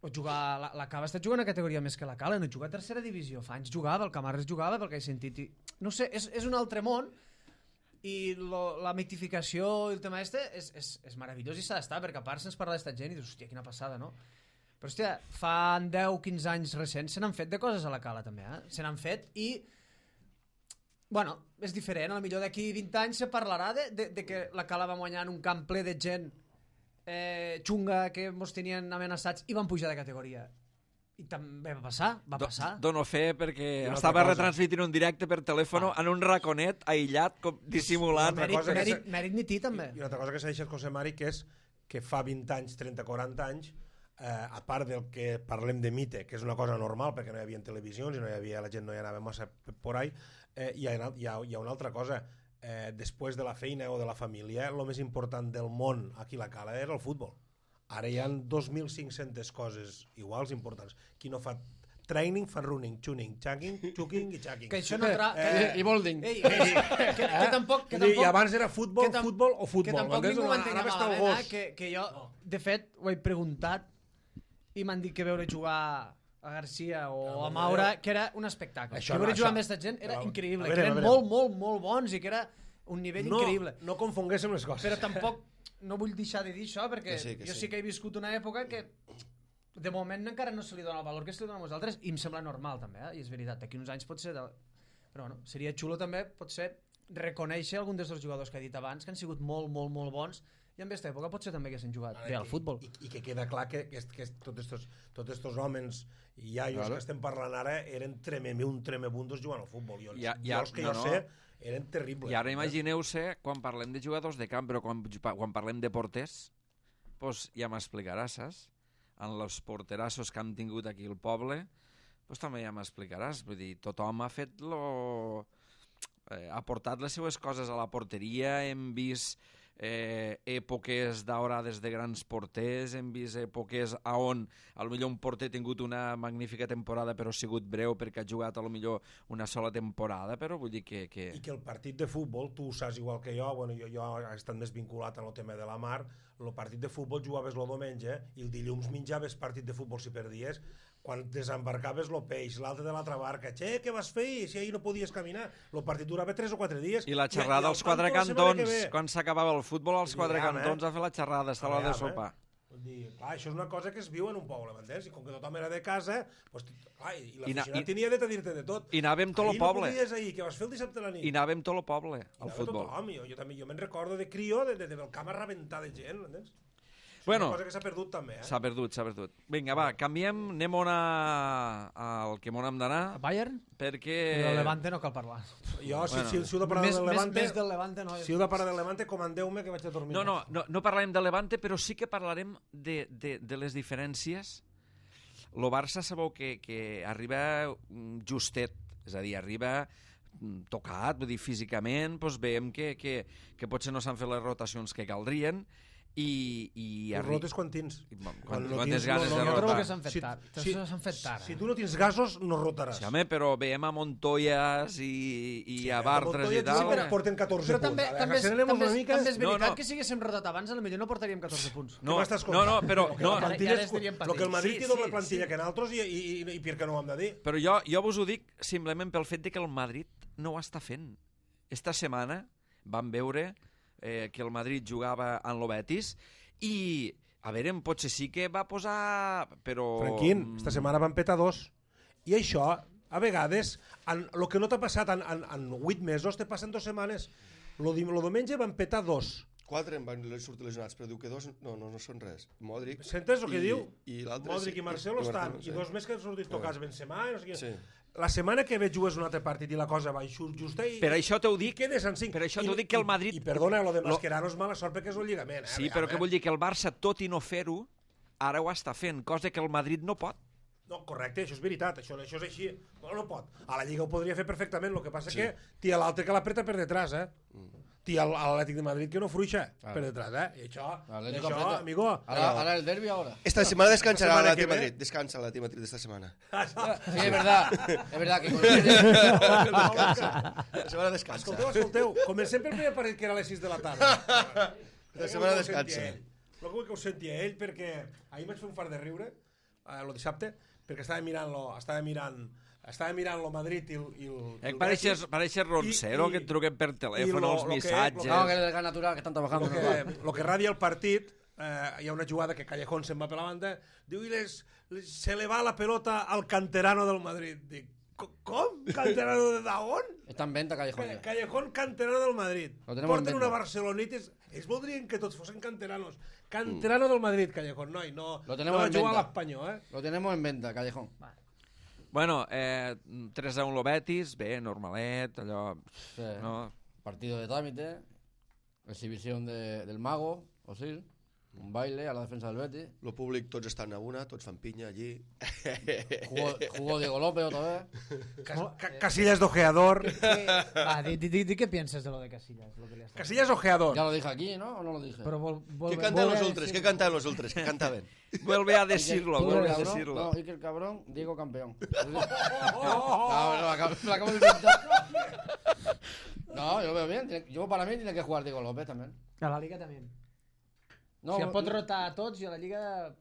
o jugar, la, la Cava ha estat jugant a categoria més que la Cala, no juga a tercera divisió, fa anys jugava, el Camarles jugava, pel que he sentit, i, no sé, és, és un altre món, i lo, la mitificació i el tema este és, és, és meravellós i s'ha d'estar, perquè a part se'ns parla d'esta gent i dius, hòstia, quina passada, no? Però, hòstia, fa deu quinze anys recents se n'han fet de coses a la Cala, també, eh? Se n'han fet i... Bueno, és diferent, a lo millor d'aquí vint anys se parlarà de, de, de que la Cala va guanyar en un camp ple de gent eh, xunga que mos tenien amenaçats i van pujar de categoria. I també va passar, va Do, passar. dono fe perquè una estava altra cosa. retransmitint un directe per telèfon Ah. en un raconet aïllat, com dissimulant. Una Mèrit, cosa que mèrit, se- mèrit ni ti, també. I una altra cosa que s'ha deixat José Mari, que és que fa vint anys, trenta, quaranta anys, eh, a part del que parlem de mite, que és una cosa normal perquè no hi havia televisions i no hi havia, la gent no hi anava massa por ahí, eh, hi, ha, hi, ha, hi ha una altra cosa. Eh, després de la feina o de la família, el més important del món aquí a la Cala era el futbol. Ara hi ha dos mil cinc-centes coses iguals importants. Qui no fa training, fa running, tuning, chucking, chucking i chucking. Que això no tra... Eh, que, I Bolding. Ei, que, que, que, que tampoc... Que Vull dir, tampoc I abans era futbol, que tam- futbol o futbol. Que tampoc m'entens? ningú Ara m'entengui està el malament, gos. eh? Que, que jo, de fet, ho he preguntat i m'han dit que veure jugar a Garcia o Ah, a Maura, que era un espectacle. Això que no, veure jugar això- amb aquesta gent era Però, increïble, a veure, que eren a veure. molt, molt, molt bons i que era un nivell no, increïble. No confonguéssim les coses. Però tampoc no vull deixar de dir això, perquè Que sí, que jo sí. sí que he viscut una època que de moment encara no se li dona el valor que se li dona a nosaltres i em sembla normal també, eh? I és veritat, d'aquí uns anys pot ser de... però bueno, seria xulo també potser reconèixer algun dels jugadors que he dit abans que han sigut molt, molt, molt bons i en aquesta època potser també haguessin jugat Ara, bé al i- futbol. I, i que queda clar que, que, que tots estos, tots estos homes i iaios Claro. que estem parlant ara eren treme, un tremebundos jugant al futbol. Jo, Ja- jo ja- els que no, jo no. sé eren terribles. I ara imagineu-se, quan parlem de jugadors de camp, però quan, quan parlem de porters, pues ja m'explicaràs, saps? En els porterassos que hem tingut aquí al poble, pues també ja m'explicaràs. Vull dir, tothom ha fet lo... Eh, ha portat les seues coses a la porteria, hem vist eh, èpoques daurades de grans porters, hem vist èpoques a on a lo millor un porter ha tingut una magnífica temporada però ha sigut breu perquè ha jugat a lo millor una sola temporada, però vull dir que... que... I que el partit de futbol, tu ho saps igual que jo, bueno, jo, jo he estat més vinculat en el tema de la mar, el partit de futbol jugaves el diumenge i el dilluns menjaves partit de futbol si perdies, quan desembarcaves el peix, l'altre de l'altra barca, che, què vas fer? Si ahir no podies caminar. El partit durava tres o quatre dies. I la xerrada als quatre cantons, quan s'acabava el futbol, als quatre Aviam, eh? cantons a fer la xerrada, està l'hora de Aviam, eh? sopar. Vull dir, clar, això és una cosa que es viu en un poble, m'entens? I com que tothom era de casa, doncs, clar, i I na- l'aficionat i- tenia dret a dir-te de tot. I anàvem tot el Ahir poble. no podies ahir, què vas fer el dissabte a la nit? I anàvem tot el poble, I al anava futbol. Tothom, jo, jo també, jo me'n recordo de crio, de, de, de, del camp a rebentar de gent, m'entens? Bueno, Una cosa que s'ha perdut també, eh? s'ha perdut, s'ha perdut. Vinga, va, canviem, anem on a... al que m'on hem d'anar, A Bayern? perquè... Però del Levante no cal parlar. Jo, si, Bueno. si, si heu de parlar Més, del més, Levante... més del Levante no. Si heu de parlar del Levante, comandeu-me que vaig a dormir. No, no, no, no parlarem de Levante, però sí que parlarem de, de, de les diferències. El Barça sabeu que, que arriba mm, justet, és a dir, arriba mm, tocat, vull dir, físicament, doncs veiem que, que, que potser no s'han fet les rotacions que caldrien, i... i I arri- rotes quan tens. I, bueno, Quan quan- no quantes tens- ganes no, no, de Jo trobo rotar. que s'han fet tard. Si- S'han fet tard. Si eh? tu no tens gasos, no rotaràs. Sí, home, però veiem a Montoyas i, i Sí, a a Bartres i Montoya tal. sí, però porten catorze Però punts. també, A veure, també, és, accelerem també, és, una mica. també és veritat No, no. que si haguéssim rotat abans, potser no portaríem catorze punts. No, Què m'estàs no, no, però... Que No, la plantilla ara és- estaríem Però que el Madrid Sí, té doble sí, plantilla sí. que nosaltres i, i, i, i per què no ho hem de dir? Però jo, jo vos ho dic simplement pel fet de que el Madrid no ho està fent. Esta setmana vam veure eh, que el Madrid jugava en el Betis i, a veure, potser sí que va posar... Però... Franquín, esta setmana van petar dos. I això, a vegades, en, el que no t'ha passat en, en, en vuit mesos, te passa en dues setmanes. Lo, di- lo diumenge van petar dos. Quatre em van sortir lesionats, però diu que dos no, no, no són res. Modric... Sentes el que i, diu? I l'altre... Modric i Marcelo estan, Marcelo, i dos més que han sortit tocats Benzema, i no sé què. Sí. La setmana que ve jugues un altre partit i la cosa va així justa i, Per això t'ho dic, i quedes en cinc. per això I- t'ho dic que el Madrid... I, i perdona, lo de Lo- Mascherano és mala sort perquè és un lligament. Eh? Sí, però què vull dir? Que el Barça, tot i no fer-ho, ara ho està fent, cosa que el Madrid no pot. No, correcte, això és veritat, això, això és així. No, no pot. A la Lliga ho podria fer perfectament, el que passa sí. que tia l'altre que l'apreta per detrás, eh? Mm. Tia l'Atlètic de Madrid que no fruixa ah. per detrás, eh? I això, Atlético això aprieta. amigo... Ahora, ahora el derbi ahora. Esta semana descansará Esta semana la que Atlético de ve. Madrid. Descansa la Atlético de Madrid esta semana. Sí, es verdad. Es verdad que con Descansa. La semana descansa. Escolteu, escolteu, comencem pel primer partit que era a les sis de la tarda. La setmana descansa. Però vull que ho senti a ell, perquè ahir vaig fer un fart de riure, eh, el dissabte, perquè estava mirant, lo, estava mirant estava mirant el Madrid i el, i el, i Eh, el pareixes, Betis. pareixes Roncero, I- i- que et truquen per telèfon, lo- els lo que- missatges... No, que es del gas natural, que están trabajando. Lo en el que, bar. lo que radia el partit, eh, hi ha una jugada que Callejón se'n va per la banda, diu, i les, les, se le va la pelota al canterano del Madrid. Dic, "Co- com? Canterano de d'on? Está en venta Callejón. Ca- ya. Canterano canterano del Madrid. Lo tenemos Porten en una venta. barcelonitis... Ells voldrien que tots fossin canteranos. Canterano del Madrid, Callejón, noi, no, Lo tenemos no va en jugar a venta. l'Espanyol, eh? Lo tenemos en venta, Callejón. Bueno, eh, tres a un lo Betis, bé, normalet, allò... Sí. No? Partido de trámite, exhibición de, del mago, Osil, un baile a la defensa del Betis. Lo públic tots estan a una, tots fan pinya allí. Jugó, jugó Diego López otra vez. Cas- ca- Casillas d'ojeador. Va, di, di, di, di què pienses de lo de Casillas. Lo que li has Casillas ojeador. Ya lo dije aquí, ¿no? ¿O no lo dije? Però vol, vol, ¿Qué cantan vol- los ultras? ¿Qué cantan los ultras? ¿Qué cantaban? Vuelve a decirlo, Iker vuelve a Cabrón, decirlo. No, Iker Cabrón, Diego Campeón. No, me lo acabo, me lo acabo de inventar. No, yo lo veo bien. Tiene- Yo para mí tiene que jugar Diego López también. A la Liga també. No, O sigui, no- pot rotar a tots i a la Liga...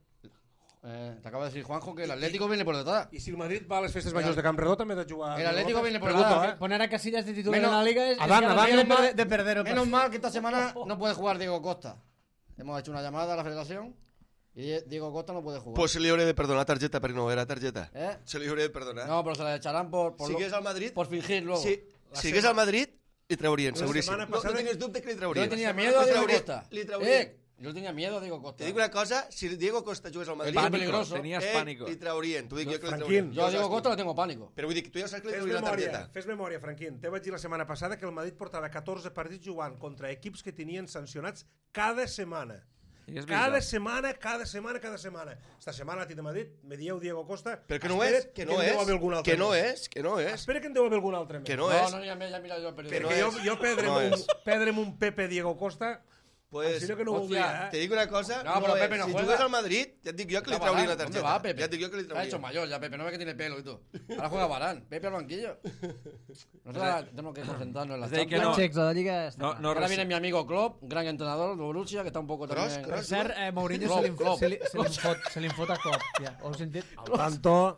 eh, te acaba de decir Juanjo que el Atlético viene por detrás. I si el Madrid va a les festes majors de Camp Redó també ha de jugar... El Atlético López? viene por Pregunto, nada, eh? Poner a Casillas de titular Menos- en la Liga es, es Adán, ganar Adán, de, menos perder- mal- de perder. Menos mal que esta semana no puede jugar Diego Costa. Hemos hecho una llamada a la federación y Die- Diego Costa no puede jugar. Pues se li hauré de perdonar targeta perquè no era targeta. ¿Eh? Se li hauré de perdonar. No, pero se la echarán por, por, si lo- hagués al Madrid... por fingir luego. Si, si hagués al Madrid, li traurien, La seguríssim. setmana No, no passada- tingues dubte que li Yo traurien. tenía Li miedo a Diego traurien, Costa. Li traurien. Eh, yo tenía miedo a Diego Costa. Te dic una cosa, si Diego Costa jugués al Madrid... Pánico, Pánico, peligroso. tenies eh, pánico. li traurien. T'ho dic jo que li Franquín. traurien. Yo a Diego saps Costa tu. le tengo pánico. Però vull dir que tu ja saps que li Fes traurien la memòria, targeta. fes memòria, Franquín. Te vaig dir la setmana passada que el Madrid portava catorze partits jugant contra equips que tenien sancionats cada setmana. I és Cada veritat. setmana, cada setmana, cada setmana. Esta setmana a ti de Madrid me dieu Diego Costa. Però que no Espera't és, que no en deu haver és, algun altre que no més. és, que no és, Espera que en deu haver algun altre més. que no No, és. no, ya me ya mira yo el Que periódico. no Perquè jo, és. jo perdre'm, No un, és. perdre'm un Pepe Diego Costa, Pues, si no que no ho hòstia, voldria, te eh? dic una cosa, No, no, pero és. Pepe no si juega. jugués al Madrid, ja et dic jo que li Está traurien Varane. la ¿Dónde targeta. va Pepe? Ja et dic jo que li Se ha hecho traurien. mayor ya Pepe, no ve que tiene pelo y todo. Ahora juega Varane, Pepe al banquillo. Nosotros tenemos que concentrarnos en la Es decir, que Champions. no- Checs, la Liga està No, clar. no, Ahora res- viene mi amigo Klopp, gran entrenador de Borussia, que está un poco Kroos, también... Kroos. Per cert, eh, Mourinho Klopp, se li, Klopp. se li, se li, fot, se li fot a Klopp. Ja, ho heu sentit? Al tanto,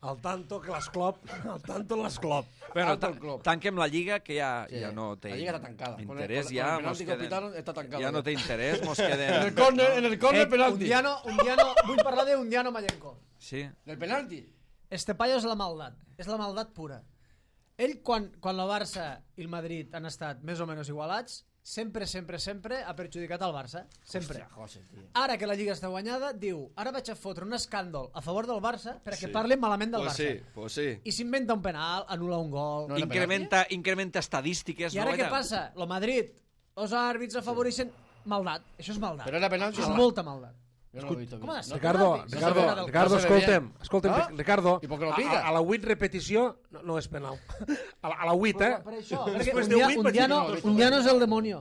al tanto que l'esclop, al tanto l'esclop. Bueno, Alto el ta club. tanquem la Lliga, que ja, Sí, ja no té la Lliga està tancada. Con el- interès, con el- ja con el mos penalti que queden... pitaron està tancada Ja no ja. té interès, mos En el queden... córner, en el córner Eh, penalti. Undiano, Undiano, vull parlar de Undiano Mayenko. Sí. Del penalti. Este paio és la maldat, és la maldat pura. Ell, quan, quan la Barça i el Madrid han estat més o menys igualats, sempre, sempre, sempre ha perjudicat el Barça. Sempre. Hòstia, José, tío. Ara que la Lliga està guanyada, diu, ara vaig a fotre un escàndol a favor del Barça perquè parlen malament del Pues Barça. sí, pues sí. I s'inventa un penal, anul·la un gol... No era Incrementa, incrementa estadístiques, I ara no? què passa? Lo Madrid, els àrbits afavoreixen maldat. Això és maldat. Però era penalti Això o és no? molta maldat. Yo no lo he visto Com ha bien. de ser? No. Ricardo, penalti. Ricardo, No se ve Ricardo, no se ve escolta'm, bien. escolta'm, Ah? Ricardo, I per què lo a, pica? a, a la vuit repetició no, no és penal. A la, a la vuit, eh? Per, per això, perquè Després un, de dia, vuit un, vaig dir dia que no, no l'he un dia no és el demonio.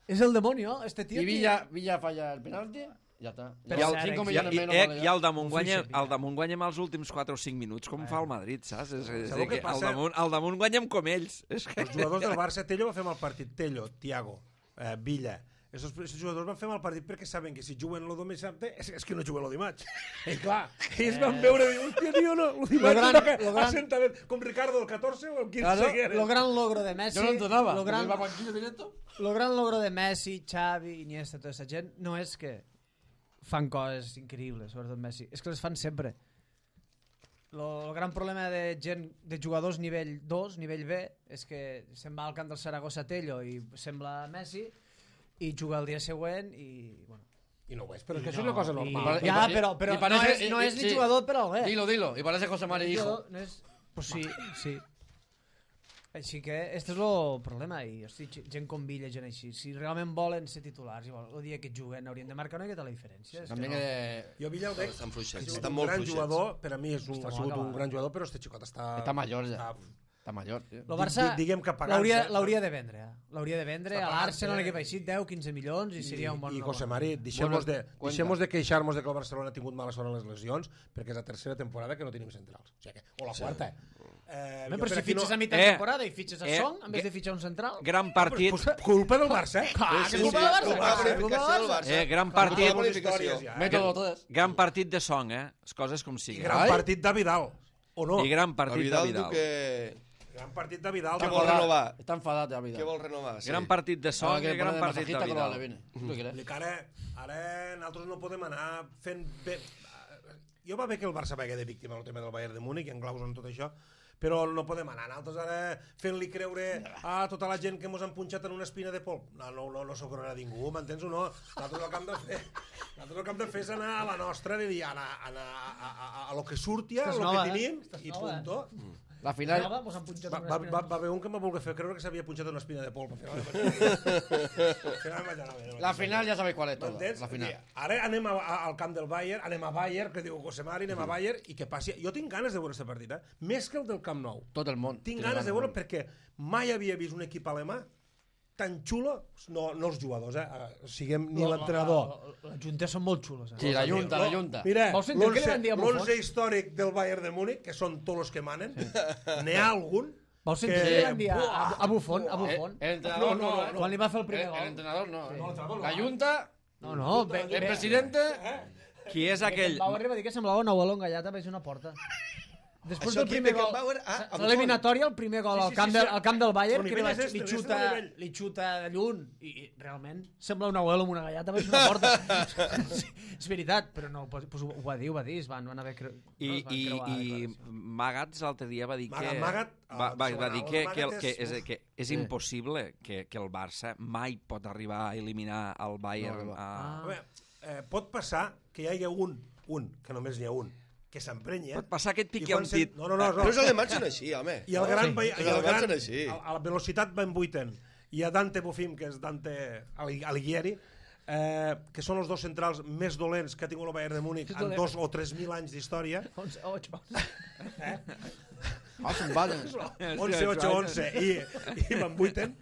És el demonio, este tío. Y que- Villa, Villa falla el penalti, ya está. Però Ya, cert, cinco eh, millones I, menos. eh, vale, I ya. al damunt Un guanyem, fitxer, al damunt guanyem els últims quatre o cinc minuts, com fa el Madrid, saps? És, és, Sabeu és què que al passa? damunt, al damunt guanyem com ells. És que... Els jugadors del Barça, Tello va fer mal partit. Tello, Thiago, eh, Villa. Esos, esos jugadors van fer mal partit perquè saben que si juguen el dissabte és, és que no juguen el dimarts. I clar, ells van veure i diuen, hòstia, tio, no, el dimarts gran- no toca lo gran- assentament. Com Ricardo, el catorze o el quinze Claro, que era. Lo gran logro de Messi... Yo no entonaba. Lo gran, ¿Iba al banquillo directo? lo gran logro de Messi, Xavi, Iniesta, tota aquesta gent, no és que fan coses increïbles, sobretot Messi. És que les fan sempre. Lo, el gran problema de gent, de jugadors nivell dos, nivell B, és que se'n va al camp del Saragossa Tello i sembla Messi i juga el dia següent i... Bueno, I no ho és, però és que això és una cosa normal. I- ja, i- però, però i parece- no és, no i- és ni sí. jugador per al B. Dilo, dilo. Y parece José María Hijo. No és... Pues sí, sí. Així que este és el problema i hosti, gent com Villa, gent així, si realment volen ser titulars i el dia que juguen haurien de marcar una miqueta la diferència. És que También no. que Jo Villa el veig, Estan ha fluixets, sigut estan un molt gran fluixets. jugador, per a mi és un, Està ha molt sigut un acabat. gran jugador, però este xicot està... Está mayor ya. Està, Está mayor, tío. El Barça Di- diguem que pagant, l'hauria eh? l'hauria de vendre. eh? L'hauria de vendre Està a pagant, l'Arsenal, un eh? equip així, deu quinze milions i seria un bon I José negoci. Mari, deixem-nos de, Bueno, cuenta. deixem de queixar-nos de que el Barcelona ha tingut mala sort en les lesions, perquè és la tercera temporada que no tenim centrals. O, sigui que, o la quarta. Eh, Home, jo però per si aquí fitxes a mitjà Eh, temporada i fitxes a eh, Son en vez que- de fitxar un central... Gran partit, Pues, culpa del Barça, eh? Ah, Sí, que sí, culpa sí, del Barça! culpa de la clar, culpa del bonificació del Barça. Barça. eh, gran Culpa de partit, la bonificació. ja. Método, todo es. gran partit de Song, eh? Les coses com I siguin. gran Ai. partit de Vidal. o no. I gran partit de Vidal Vidal. diu que... Gran partit de Vidal. Què de vol Vidal. renovar? Está enfadado ya, vida. Què vol renovar? Sí. Gran partit de Son i gran partit de Vidal. ¿Tú quieres? Vull dir que ara, ara nosaltres no podem anar fent bé... Jo va bé que el Barça vagi de víctima al tema del Bayern de Múnich, en claus en tot això, però no podem anar nosaltres ara fent-li creure a tota la gent que mos han punxat en una espina de polp. No, no, no, no s'ho creurà ningú, m'entens o no? Nosaltres el que hem de fer, nosaltres el que hem de fer és anar a la nostra, de dir, anar, anar a, a, a, a lo que surti, a Estàs lo nova, que eh? tenim, Estàs i nova, punto. eh? La final... Nova, mos han punxat Va, una va, espina. va, va haver un que me volgué fer creure que s'havia punxat una espina de polp. Al final, al final vaig anar bé. La final ya sabéis cuál es todo. M'entens? La final. Ara anem a, a, al camp del Bayern, anem a Bayern, que diu José Mari, anem a Bayern, i que passi... Jo tinc ganes de veure aquest partit, eh? Més que el del Camp Nou. Todo el mundo. Tinc ganes de veure perquè mai havia vist un equip alemà tan xulo, no, no els jugadors, eh? Siguem ni l'entrenador. Les juntes són molt xules. Eh? Sí, la junta, la junta. Mira, Vols sentir què li van dir a Buffon? l'onze històric del Bayern de Múnich, que són tots els que manen, n'hi ha algun Vols sentir que- què li van dir a, a, a Buffon? A Buffon? El, el entrenador No, no, no, no. Quan li va fer el primer El, el gol. entrenador no. No, el entrenador no. La junta, No, no, ve, el presidente... Qui és aquell... Bauer li va dir que semblava una bola engallada per una porta. Després Això del aquí, primer gol, Beckenbauer, ah, a Buffon. l'eliminatòria, el primer gol Sí, al sí, camp, sí, del, sí. al camp del Bayern, El que li, nivell vaig, és li, este, xuta, és el nivell. li xuta de lluny i, i realment sembla una bola amb una gallata per una porta. Sí, és veritat, però no, pues, pues, ho va dir, ho va dir, es van, van haver creu... I, no, es van i, creuar la i declaració. Magats l'altre dia va dir que... Magat- Magat, va, va, va segona, dir el que, que, el, Magat que, és- és, que és Sí. impossible que, que el Barça mai pot arribar a eliminar el Bayern. No, no, no. a... Ah. A veure, eh, pot passar que hi hagi un, un, que només n'hi ha un, que s'emprenya. Pot passar que et i piqui quan un se- dit. No, no, no. no. Però els alemanys són així, home. I el gran, Sí. país, Els i el alemans gran són així. a, a la velocitat van vuiten, i a Dante Bofim, que és Dante Ali- Alighieri, eh, que són els dos centrals més dolents que ha tingut el Bayern de Múnich en dolent. dos o tres mil anys d'història, onze, ocho. Ah, son vales. onze, ocho, onze, i, i van vuiten.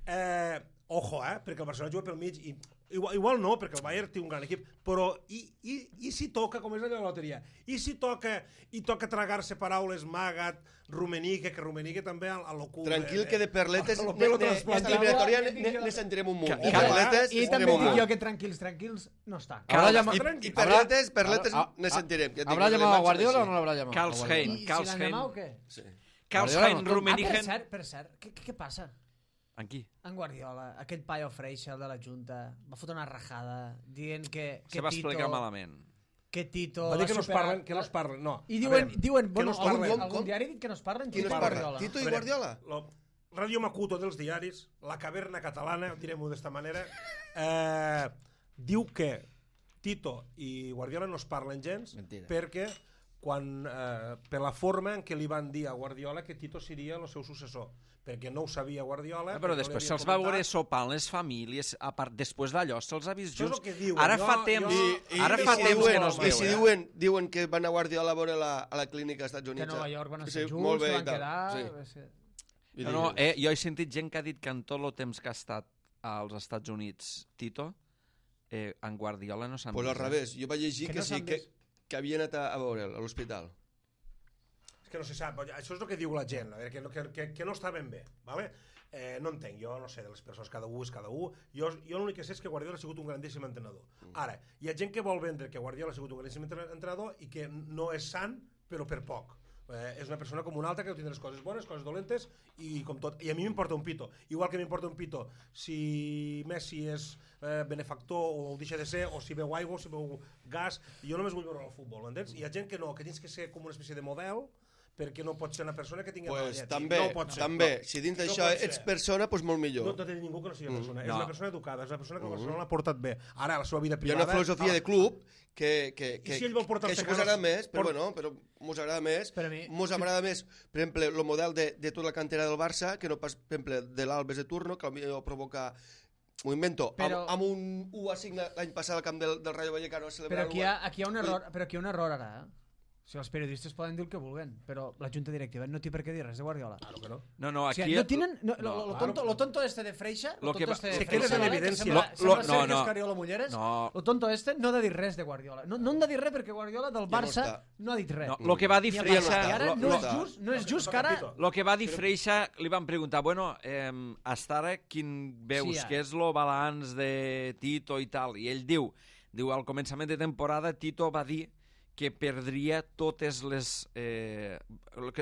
Eh, ojo, eh, perquè el Barcelona juga pel mig, i igual, igual no, perquè el Bayern té un gran equip, però i, i, i si toca, com és allò de la loteria, i si toca, i toca tragar-se paraules Magat, Rummenigge, que Rummenigge també a, a lo cul... Tranquil, que de perletes... a lo ne- pelo ne- trasplanta. Esta eliminatòria Ja ne- dic ne jo. ne sentirem un munt. Ca- I ca- perletes I ne també sentirem un dic jo munt. que tranquils, tranquils no està. Habrá I, llamado... tranquil. I perletes, perletes Ah, ne ah, sentirem. Ja et dic, ¿Habrá els llamado a alemans són Guardiola o així. no l'habrá llamado? Karl A Guardiola. Hein. I si Karl l'han Hein. llamat o què? Sí. Karl Guardiola Hein, no, Ah, per Rummenigge... cert, per cert, què, què, què passa? En qui? En Guardiola, aquell paio freixa, el de la Junta, va fotre una rajada dient que, que Se va Tito... explicar malament. Que Tito... Va dir que no es superar- parlen, que no es parlen, no. I A diuen, veure, diuen que bueno, no es algun, parlen. algun Com? diari ha dit que no es parlen, Qui no Tito es i parla? Guardiola. Tito i A veure, Guardiola? Lo, Radio Macuto dels diaris, la caverna catalana, direm-ho d'esta manera, eh, diu que Tito i Guardiola no es parlen gens Mentira. perquè quan, eh, per la forma en què li van dir a Guardiola que Tito seria el seu successor, perquè no ho sabia Guardiola. Ah, però perquè no li després havia se'ls va comentat. veure sopant les famílies, a part, després d'allò se'ls ha vist Això és junts. el que diuen. Ara Jo- fa temps, jo- I, ara i fa si temps diuen, que no es I veu, si eh? diuen, diuen que van a Guardiola a veure la, a la clínica als Estats Que Units. a Nova York van Sí, estar junts, molt bé que i van tal. quedar... Sí. va ser- I No, no, eh, jo he sentit gent que ha dit que en tot el temps que ha estat als Estats Units Tito, eh, en Guardiola no s'han Pues al vist, eh? revés, jo vaig llegir Que que, no sí, s'han que, vist. que havia anat a, a veure'l a l'hospital. És que no se sap, això és el que diu la gent, a veure, que, no- que, que, que no està ben bé, ¿vale? Eh, no entenc, jo no sé de les persones, cada un és cada un, jo, jo l'únic que sé és que Guardiola ha sigut un grandíssim entrenador. Ara, hi ha gent que vol vendre que Guardiola ha sigut un grandíssim entre- entrenador i que no és sant, però per poc. Eh, és una persona com una altra que tindrà les coses bones, coses dolentes i com tot. I a mi m'importa un pito. Igual que m'importa un pito si Messi és eh, benefactor o ho deixa de ser, o si veu aigua o si veu gas. Jo només vull veure el futbol, m'entens? Hi ha gent que no, que tens que ser com una espècie de model perquè no pot ser una persona que tingui Pues, mala llet. també, no pot ser, també. no. Si dins No d'això pot ser. ets persona, doncs molt No, millor. no té ningú que no sigui persona. És no. una persona educada, és una persona que el Barcelona l'ha portat bé. Ara, la seva vida Hi ha privada... una filosofia de club que, que, I que, si ell vol portar que els això mos agrada caros- més, però por- bueno, però mos agrada més, Per a mi- mos agrada més, per exemple, el model de, de tota la cantera del Barça, que no pas, per exemple, de l'Albes de Turno, que potser provoca, m'ho invento, Però- amb, amb un u a cinc l'any passat al camp del, del Rayo Vallecano a Però celebrar aquí hi ha, aquí hi ha un error, però aquí hi ha un error ara, eh? O sigui, els periodistes poden dir el que vulguen, però la junta directiva no té per què dir res de Guardiola. Claro que no. No, no, O aquí... sigui, no tienen... No, lo, No, lo, tonto, lo tonto este de Freixa... Lo que va- tonto Se de queda Freixa, en ¿vale? Que evidència. Sembla, Lo- sembla lo- Sergio no, no. Escariolo Mulleres. No. Lo tonto este no ha de dir res de Guardiola. No, no han de dir res perquè Guardiola del no Barça està. no, ha dit res. No, lo que va dir Ni el Freixa... Barça. I ara lo- no, lo- és just, no és just que ara... Lo que va dir Freixa, li van preguntar, bueno, eh, hasta ara quin veus, Sí, ja. què és lo balanç de Tito i tal? I ell diu, diu, al començament de temporada Tito va dir que perdria totes les, eh,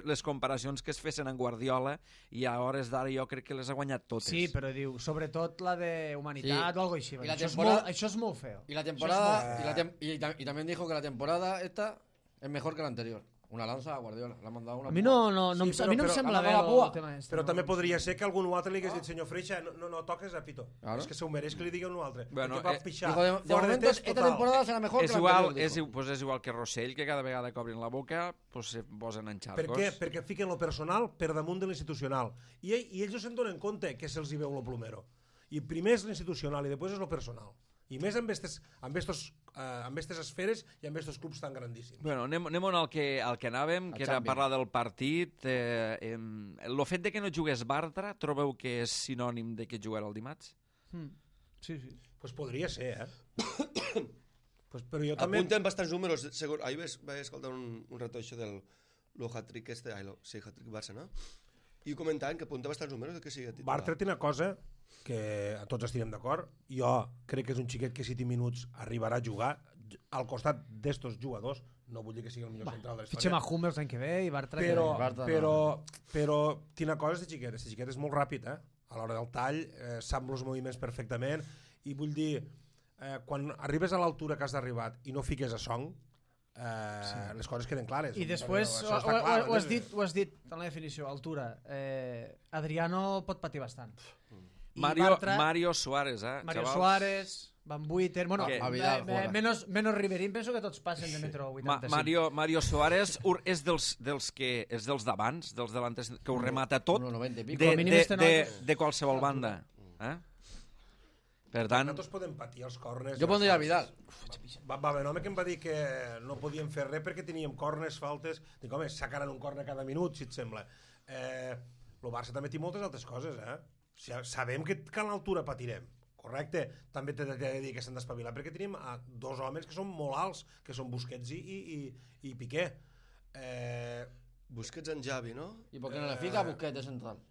les comparacions que es fessin en Guardiola i a hores d'ara jo crec que les ha guanyat totes. Sí, però diu, sobretot la de humanitat Sí. o algo així. I la Això, temporada- és molt, això és molt feo. Y la temporada, Eso es y, la tem- y, tam- y también dijo que la temporada esta es mejor que la anterior. Una lanza a Guardiola, le ha mandado una. A mi no, no, no, Sí, em- a però- mi no em però- sembla ha bé agafat la el pua. tema este. Però no. també podria ser que algun altre li hagués dit, senyor Freixa, no, no, no toques a Pito. Claro. És que s'ho mereix que li digui un altre. Bueno, Perquè va eh, pixar. Dijo, de, de Fora momento, test esta total. temporada será mejor És que la igual, anterior. és, dijo. pues és igual que Rossell, que cada vegada que obrin la boca pues, se posen en Per xarcos. què? Perquè fiquen lo personal per damunt de l'institucional. I, ell- I ells no se'n donen compte que se'ls hi veu lo plomero. I primer és l'institucional i després és lo personal. I més amb estes, amb estos, eh, amb estes esferes i amb estos clubs tan grandíssims. Bueno, anem, anem al que, al que anàvem, que Al era Champions. parlar del partit. Eh, em, el fet de que no jugués Bartra, trobeu que és sinònim de que jugarà el dimarts? Mm. Sí, sí. Pues podria ser, eh? pues, però jo també... Apunten bastants números. Segur, ahir vaig, vaig escoltar un, un rato això del lo hat-trick este, ai, lo, sí, hat-trick Barça, no? I comentaven que apunta bastants números de que sigui titular. Bartra té una cosa que a tots estirem d'acord. Jo crec que és un xiquet que si té minuts arribarà a jugar al costat d'estos jugadors. No vull dir que sigui el millor central de la Fitxem història. a Hummels l'any que ve i Bartra... Però, que... Bartra no. però, però té una cosa, este xiquet. Este xiquet és molt ràpid, eh? A l'hora del tall, eh, sap els moviments perfectament. I vull dir, eh, quan arribes a l'altura que has d'arribar i no fiques a Song, eh, sí. les coses queden clares. I després, Això ho, està ho, clar, ho, ho, has eh? dit, ho has dit en la definició, altura. Eh, Adriano pot patir bastant. I Mario, Bartra, Mario Suárez, eh, Mario xavals? Suárez, Van Buiten... Bueno, Què? eh, A Vidal, eh, juega. menos, menos Riverín, penso que tots passen de metro Ma vuitanta-cinc. Mario, Mario Suárez ur, és dels, dels que és dels d'abans, dels delanters que ho remata tot uno noventa i pico. de, Com a mínim de, este de, noi- de qualsevol banda. Eh? Per tant, Nosaltres podem patir els corners. Jo pondria a Vidal. Va, va haver un home que em va dir que no podíem fer res perquè teníem corners, faltes... Dic, home, sacaran un corner cada minut, si et sembla. Eh, el Barça també té moltes altres coses, eh? O sigui, sabem que, que a l'altura patirem, correcte? També t'he de, de dir que s'han d'espavilar perquè tenim a dos homes que són molt alts, que són Busquets i, i, i, i Piqué. Eh, Busquets en Javi, no? I per què no le fica a Busquets de central?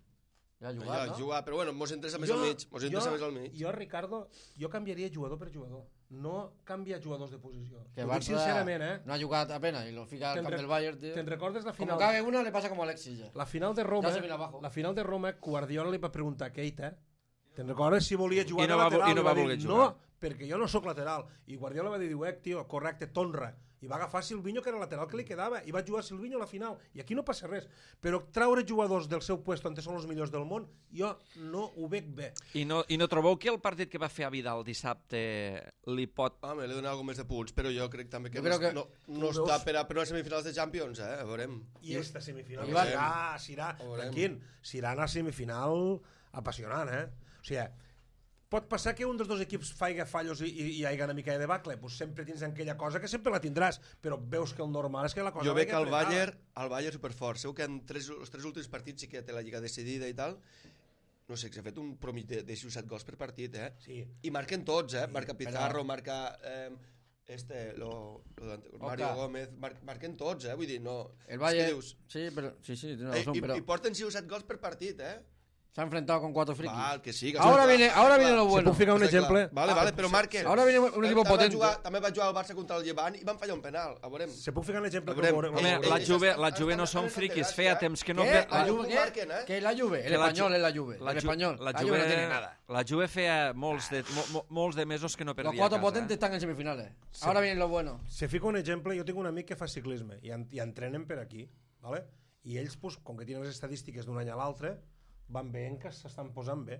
Ja ha jugat, Ja, no? jugar, però bueno, mos interessa més al mig. Mos interessa més al mig. jo, Ricardo, jo canviaria jugador per jugador. No canvia jugadors de posició. Que Ho dic Barça sincerament, eh? no ha jugat apenas y lo fica al Te'n camp re- del Bayern, tío. Te'n recordes la Como final? cague una, le pasa como a Alexis ya. La final de Roma, Ja se viene abajo. la final de Roma, Guardiola li va preguntar a Keita, te'n recordes si volia jugar I no de va- lateral? i no Li va dir, voler no, jugar. perquè jo no sóc lateral. I Guardiola va dir, eh, tio, correcte, tonra. I va agafar Silvinho, que era el lateral que li quedava, i va jugar Silvinho a la final. I aquí no passa res. Però traure jugadors del seu puesto on són els millors del món, jo no ho veig bé. i no, i no trobeu que el partit que va fer a Vidal dissabte li pot... Home, li dona alguna més de punts, però jo crec també que, Jo crec que- no, no Tu està veus? per a, per a semifinals de Champions, eh? A veurem. I esta semifinal I I va- serà, serà, Ho veurem. tranquil, serà una semifinal apassionant, eh? O sigui, pot passar que un dels dos equips faiga fallos i, i, i hi hagi una mica de debacle, pues sempre tens aquella cosa que sempre la tindràs, però veus que el normal és que la cosa Jo vagi veig que el apretada. Bayern, el Bayern superfort. Segur que en tres, els tres últims partits sí que té la lliga decidida i tal. No sé, que s'ha fet un promig de, de sis o set gols per partit, eh? Sí. I marquen tots, eh? Sí, Marca Pizarro, marca... Eh, este, lo, lo de Mario Oca. Gómez, mar, marquen tots, eh? Vull dir, no... El és Bayern... que dius, Sí, pero, sí, sí, tiene eh, razón, i, pero I porten sis o set gols per partit, eh? se ha enfrentado con cuatro frikis. Val, que sí. Que Ahora està viene, clar, ahora està viene clar. lo bueno. puc ficar un Està exemple? clar. Vale, Ah, vale, però marquen. Ahora viene un equipo També va potente. Jugar, també va jugar el Barça contra el Llevant i van fallar un penal. A veurem. Se puc ficar un exemple? A veurem. veurem- Home, eh, la eh, Juve, estan- la Juve no estan- són estan friquis, enterats, feia ja. temps que no... ¿Qué? ve- ¿La la- Juve qué? marquen, eh? ¿Qué es la Juve? El que la español Ju- es la Juve. La el Ju- español. La La Juve, Juve no tiene nada. La Juve feia molts, de, mo, mo, molts de mesos que no perdia Los cuatro a casa. potentes están en semifinales. Ahora viene lo bueno. Se fica un exemple, jo tinc un amic que fa ciclisme i, en, i entrenen per aquí, ¿vale? I ells, pues, com que tenen les estadístiques d'un any a l'altre, van veient que s'estan posant bé.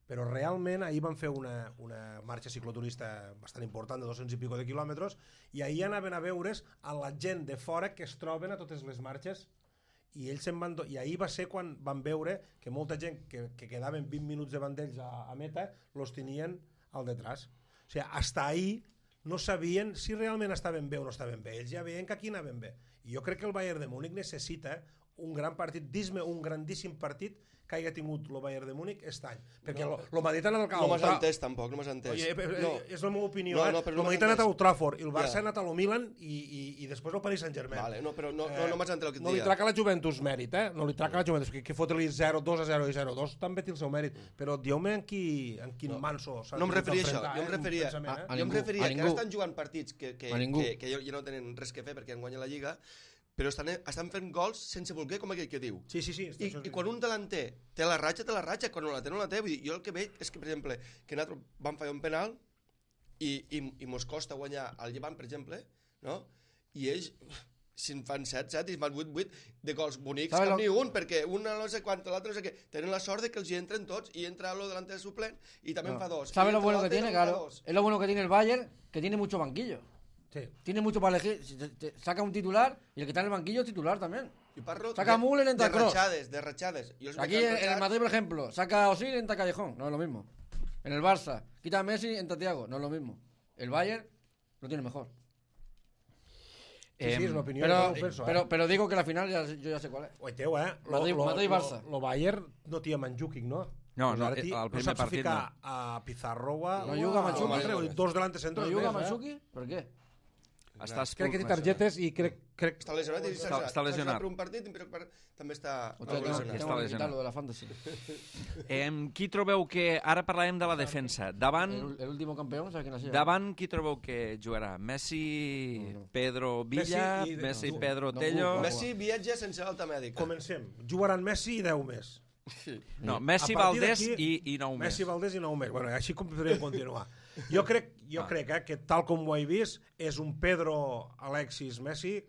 Però realment ahir van fer una, una marxa cicloturista bastant important de dos-cents i pico de quilòmetres i ahir anaven a veure's a la gent de fora que es troben a totes les marxes i ells se'n van... Do... I ahir va ser quan van veure que molta gent que, que quedaven vint minuts davant d'ells a, a meta los tenien al detrás. O sigui, hasta ahir no sabien si realment estaven bé o no estaven bé. Ells ja veien que aquí anaven bé. I jo crec que el Bayern de Múnich necessita un gran partit, dis-me un grandíssim partit que hagi tingut el Bayern de Múnich aquest any. Perquè no, el Madrid ha anat al No m'has entès, tampoc, no m'has entès. Oye, no. és la meva opinió, No, eh? no, però el no Madrid m'has ha anat a entès. Old Trafford i el Barça Ja. ha anat a lo Milan i, i, i després el Paris Saint-Germain. Vale, no, però no, no, no m'has entès el que et No li deia. traca la Juventus mèrit, eh? No li traca la Juventus, que, que fotre-li zero dos a zero i zero dos també té el seu mèrit. Però dieu-me en, qui, en quin No. manso s'ha No em tingut referia a això, d'enfrontar, jo em eh? Un referia, pensament, eh? a jo em ningú, referia a que ningú. ara estan jugant partits que, que, A ningú. que, que ja no tenen res que fer perquè han guanyat la Lliga, però estan, estan fent gols sense voler, com aquell que diu. Sí, sí, sí. I, I quan un delanter té la ratxa, té la ratxa, quan no la té, no la té. Vull dir, jo el que veig és que, per exemple, que nosaltres vam fallar un penal i, i, i mos costa guanyar el Llevant, per exemple, no? I ells, si en fan set, set, i en fan vuit, vuit de gols bonics, ¿Sabes cap lo- ni un, perquè un no sé quant, l'altre no sé què. Tenen la sort de que els hi entren tots i entra lo delanter suplent i també en fa dos. ¿Sabes I lo entra bueno que l'altre i tiene? en fa Claro. dos. Es lo bueno que tiene el Bayern, que tiene mucho banquillo. Sí. Tiene mucho para elegir. Si te- te saca un titular y el que está en el banquillo es titular también. I parlo Saca de, Müller, entra de Kroos. ratxades, de ratxades. Jo els Aquí veig en, en el ratxats. Madrid, por ejemplo, saca a Osil y entra Callejón. No es lo mismo. En el Barça, quita a Messi, entra Thiago. No es lo mismo. El Bayern lo tiene mejor. Sí, sí, és una opinió. Pero, jo no ho penso, eh? pero, pero digo que la final ya, yo ya sé cuál es. Oiteu, eh? Lo, Madrid- lo, Madrid-Barça. Lo, lo Bayern no té Mandzukic, no? No, Pues no, ara el ti- primer saps partit ficar a Pizarro o a... No juga o a- Mandzukic. o a altre, Dos delante ¿No centros. juga més, eh? Mandzukic? ¿Por qué? Està Crec que té expul- targetes i crec... crec... Està lesionat i Està- està lesionat. per un partit i per, per, també està Hostia, tengo, lesionat. Està tengo que lesionat. quitarlo de la fantasy. Em, qui trobeu que... Ara parlarem de la defensa. Davant, El, el último campeón, ¿sabes quién ha sido? davant qui trobeu que jugarà? Messi, No, no. Pedro Villa, Messi i- Messi, no, Pedro no, Tello... no, Messi viatja sense alta mèdica. Comencem. Jugaran Messi i deu més. No, Messi, A partir Valdés d'aquí, i, i nou més. Messi, Valdés i nou més. Bueno, així com podríem continuar. Jo crec, jo Ah. crec eh, que tal com ho he vist, és un Pedro, Alexis, Messi,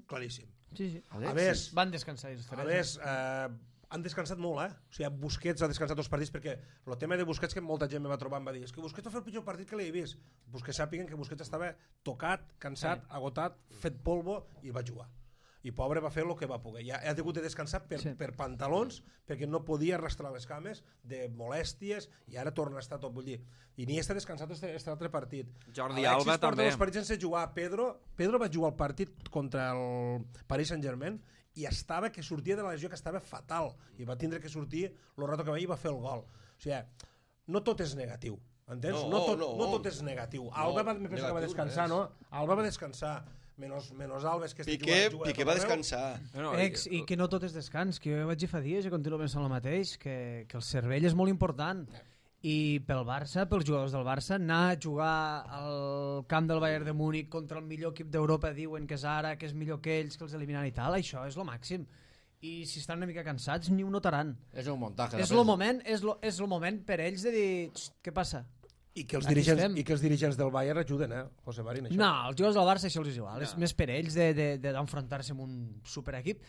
claríssim. Sí, sí. A més, Van descansar els a tres. més eh, han descansat molt, eh? O sigui, Busquets ha descansat dos partits perquè el tema de Busquets que molta gent me va trobar em va dir és que Busquets va fer el pitjor partit que l'he vist. Busquets sàpiguen que Busquets estava tocat, cansat, sí. agotat, fet polvo i va jugar. I pobre va fer el que va poder. Ja ha hagut de descansar per, Sí. sí. per pantalons perquè no podia arrastrar les cames de molèsties i ara torna a estar tot. Vull dir, i ni està descansat este, este altre partit. Jordi Alexis Alba porta també. dos partits sense jugar. Pedro, Pedro va jugar el partit contra el Paris Saint-Germain i estava que sortia de la lesió que estava fatal i va tindre que sortir el rato que va i va fer el gol. O sigui, no tot és negatiu. Entens? No, No, tot, no. no tot és negatiu. Alba va, me penso que va negatiu descansar, no no? Alba va descansar. Menos, menos Alves, que este Piqué, juga- juga Piqué tot va arreu. descansar. No, Ex, I que no tot és descans, que jo vaig dir fa dies i continuo pensant el mateix, que, que el cervell és molt important. I pel Barça, pels jugadors del Barça, anar a jugar al camp del Bayern de Múnich contra el millor equip d'Europa, diuen que és ara, que és millor que ells, que els eliminen i tal, això és lo màxim. I si estan una mica cansats, ni ho notaran. Es un montaje. És el moment, és lo, és lo moment per ells de dir, "Xt, què passa? I que, els Aquí dirigents, estem. I que els dirigents del Bayern ajuden, eh, José Marín, això. No, els jugadors del Barça això els és igual, és més per ells de- de- de- d'enfrontar-se amb un superequip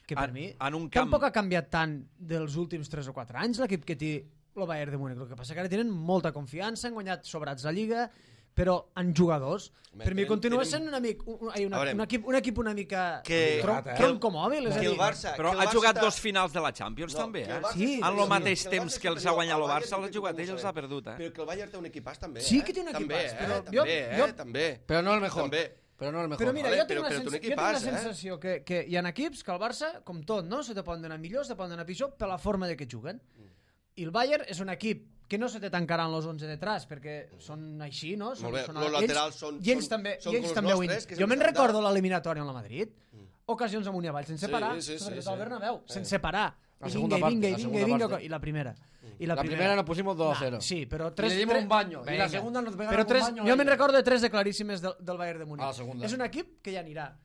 que per En- mi en un camp- tampoc ha canviat tant dels últims tres o quatre anys l'equip que té el Bayern de Múnich. El que passa que ara tenen molta confiança, han guanyat sobrats la Lliga, però en jugadors. Home, Per mi tenen- continua tenen- sent un, amic, un, un, A una, veure, un, equip, un equip una mica que- tron, que- troncomòbil, és a que dir... el Barça... Però que el ha Barça jugat està- dos finals de la Champions, No, també, que el eh? Barça Sí, és En superior, el mateix que el temps Barça que és els ha guanyat el superior, Barça, Bayern l'ha jugat té un ell, els equip, ha perdut, eh? Però que el Bayern té un equipàs, també, Sí eh? que té un També, equipàs, eh? però també, jo- eh? jo- també. Pero no el mejor. També. Pero no el mejor. Però mira, Vale, jo tinc, però- una, però sens té un jo tinc equipàs, la eh? sensació que, que hi ha equips que el Barça, com tot, no? se te poden donar millor, se te poden donar pitjor per la forma de que juguen. I el Bayern és un equip que no se te tancaran los onze detrás, perquè són així, no? Són, Molt bé, són los ells- laterals són- I ells són- també, són i ells com els també ho nostres, in- que Jo sempre me'n s'han recordo dat. l'eliminatòria amb la Madrid, ocasions amunt i avall, sense Sí, parar, sí, sí, sobretot sí. al Bernabéu, sense parar. La I segunda vinga, i vinga, parte, i la vinga, i segunda vinga, parte. i la primera. I La primera nos pusimos dos a cero. Sí, però Y tres... le dimos tres- un baño. Y la Venga. segunda nos pegaron Però tres, un baño. jo a me'n ellos. recordo de tres de claríssimes del, del Bayern de Múnich. A la segunda. És un equip que ja anirà.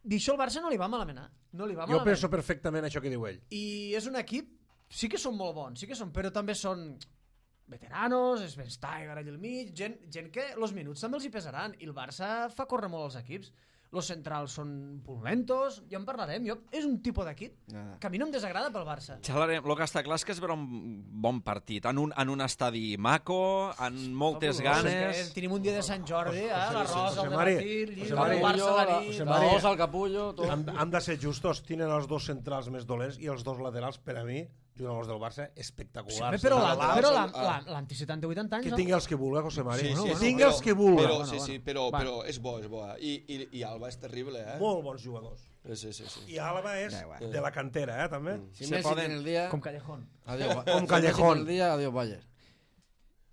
D'això al Barça no li va malament. eh? No li va Jo malament. penso perfectament això que diu ell. I és un equip, sí que són molt bons, sí que són, però també són veteranos, és Ben Steiger allà al mig, gent, gent que els minuts també els hi pesaran, i el Barça fa córrer molt els equips. Los centrals són pulentos, ja en parlarem. Jo, és un tipus d'equip Nada. que a mi no em desagrada pel Barça. Xalarem, el que està clar és que es veurà un bon partit, en un, en un estadi maco, amb moltes Fabulós, ganes... és que tenim un dia de Sant Jordi, eh? José- l'arròs, José el de Mari, Martí, José el Mari. del Barça a la nit... José La Mari. osa, el capullo, todo. Han, han de ser justos, tenen els dos centrals més dolents i els dos laterals, per a mi, jugadors del Barça, espectaculars. Però la- Nadal, però són- la- la- l'anti setanta vuitanta anys, Que no? tingui els que vulgui, José Mari. Sí, sí, que sí, tingui els que vulgui. Però, Bueno, sí, bueno. sí, però, Va. però és bo, és bo. I, i, i Alba és terrible, eh? Molt bons jugadors. Sí, sí, sí. I Àlava és de la cantera, eh, també. Si Se Messi poden- tiene el día... Com Callejón. Adiós, Ba- Com si Callejón. Messi tiene el día, adiós, Bayern.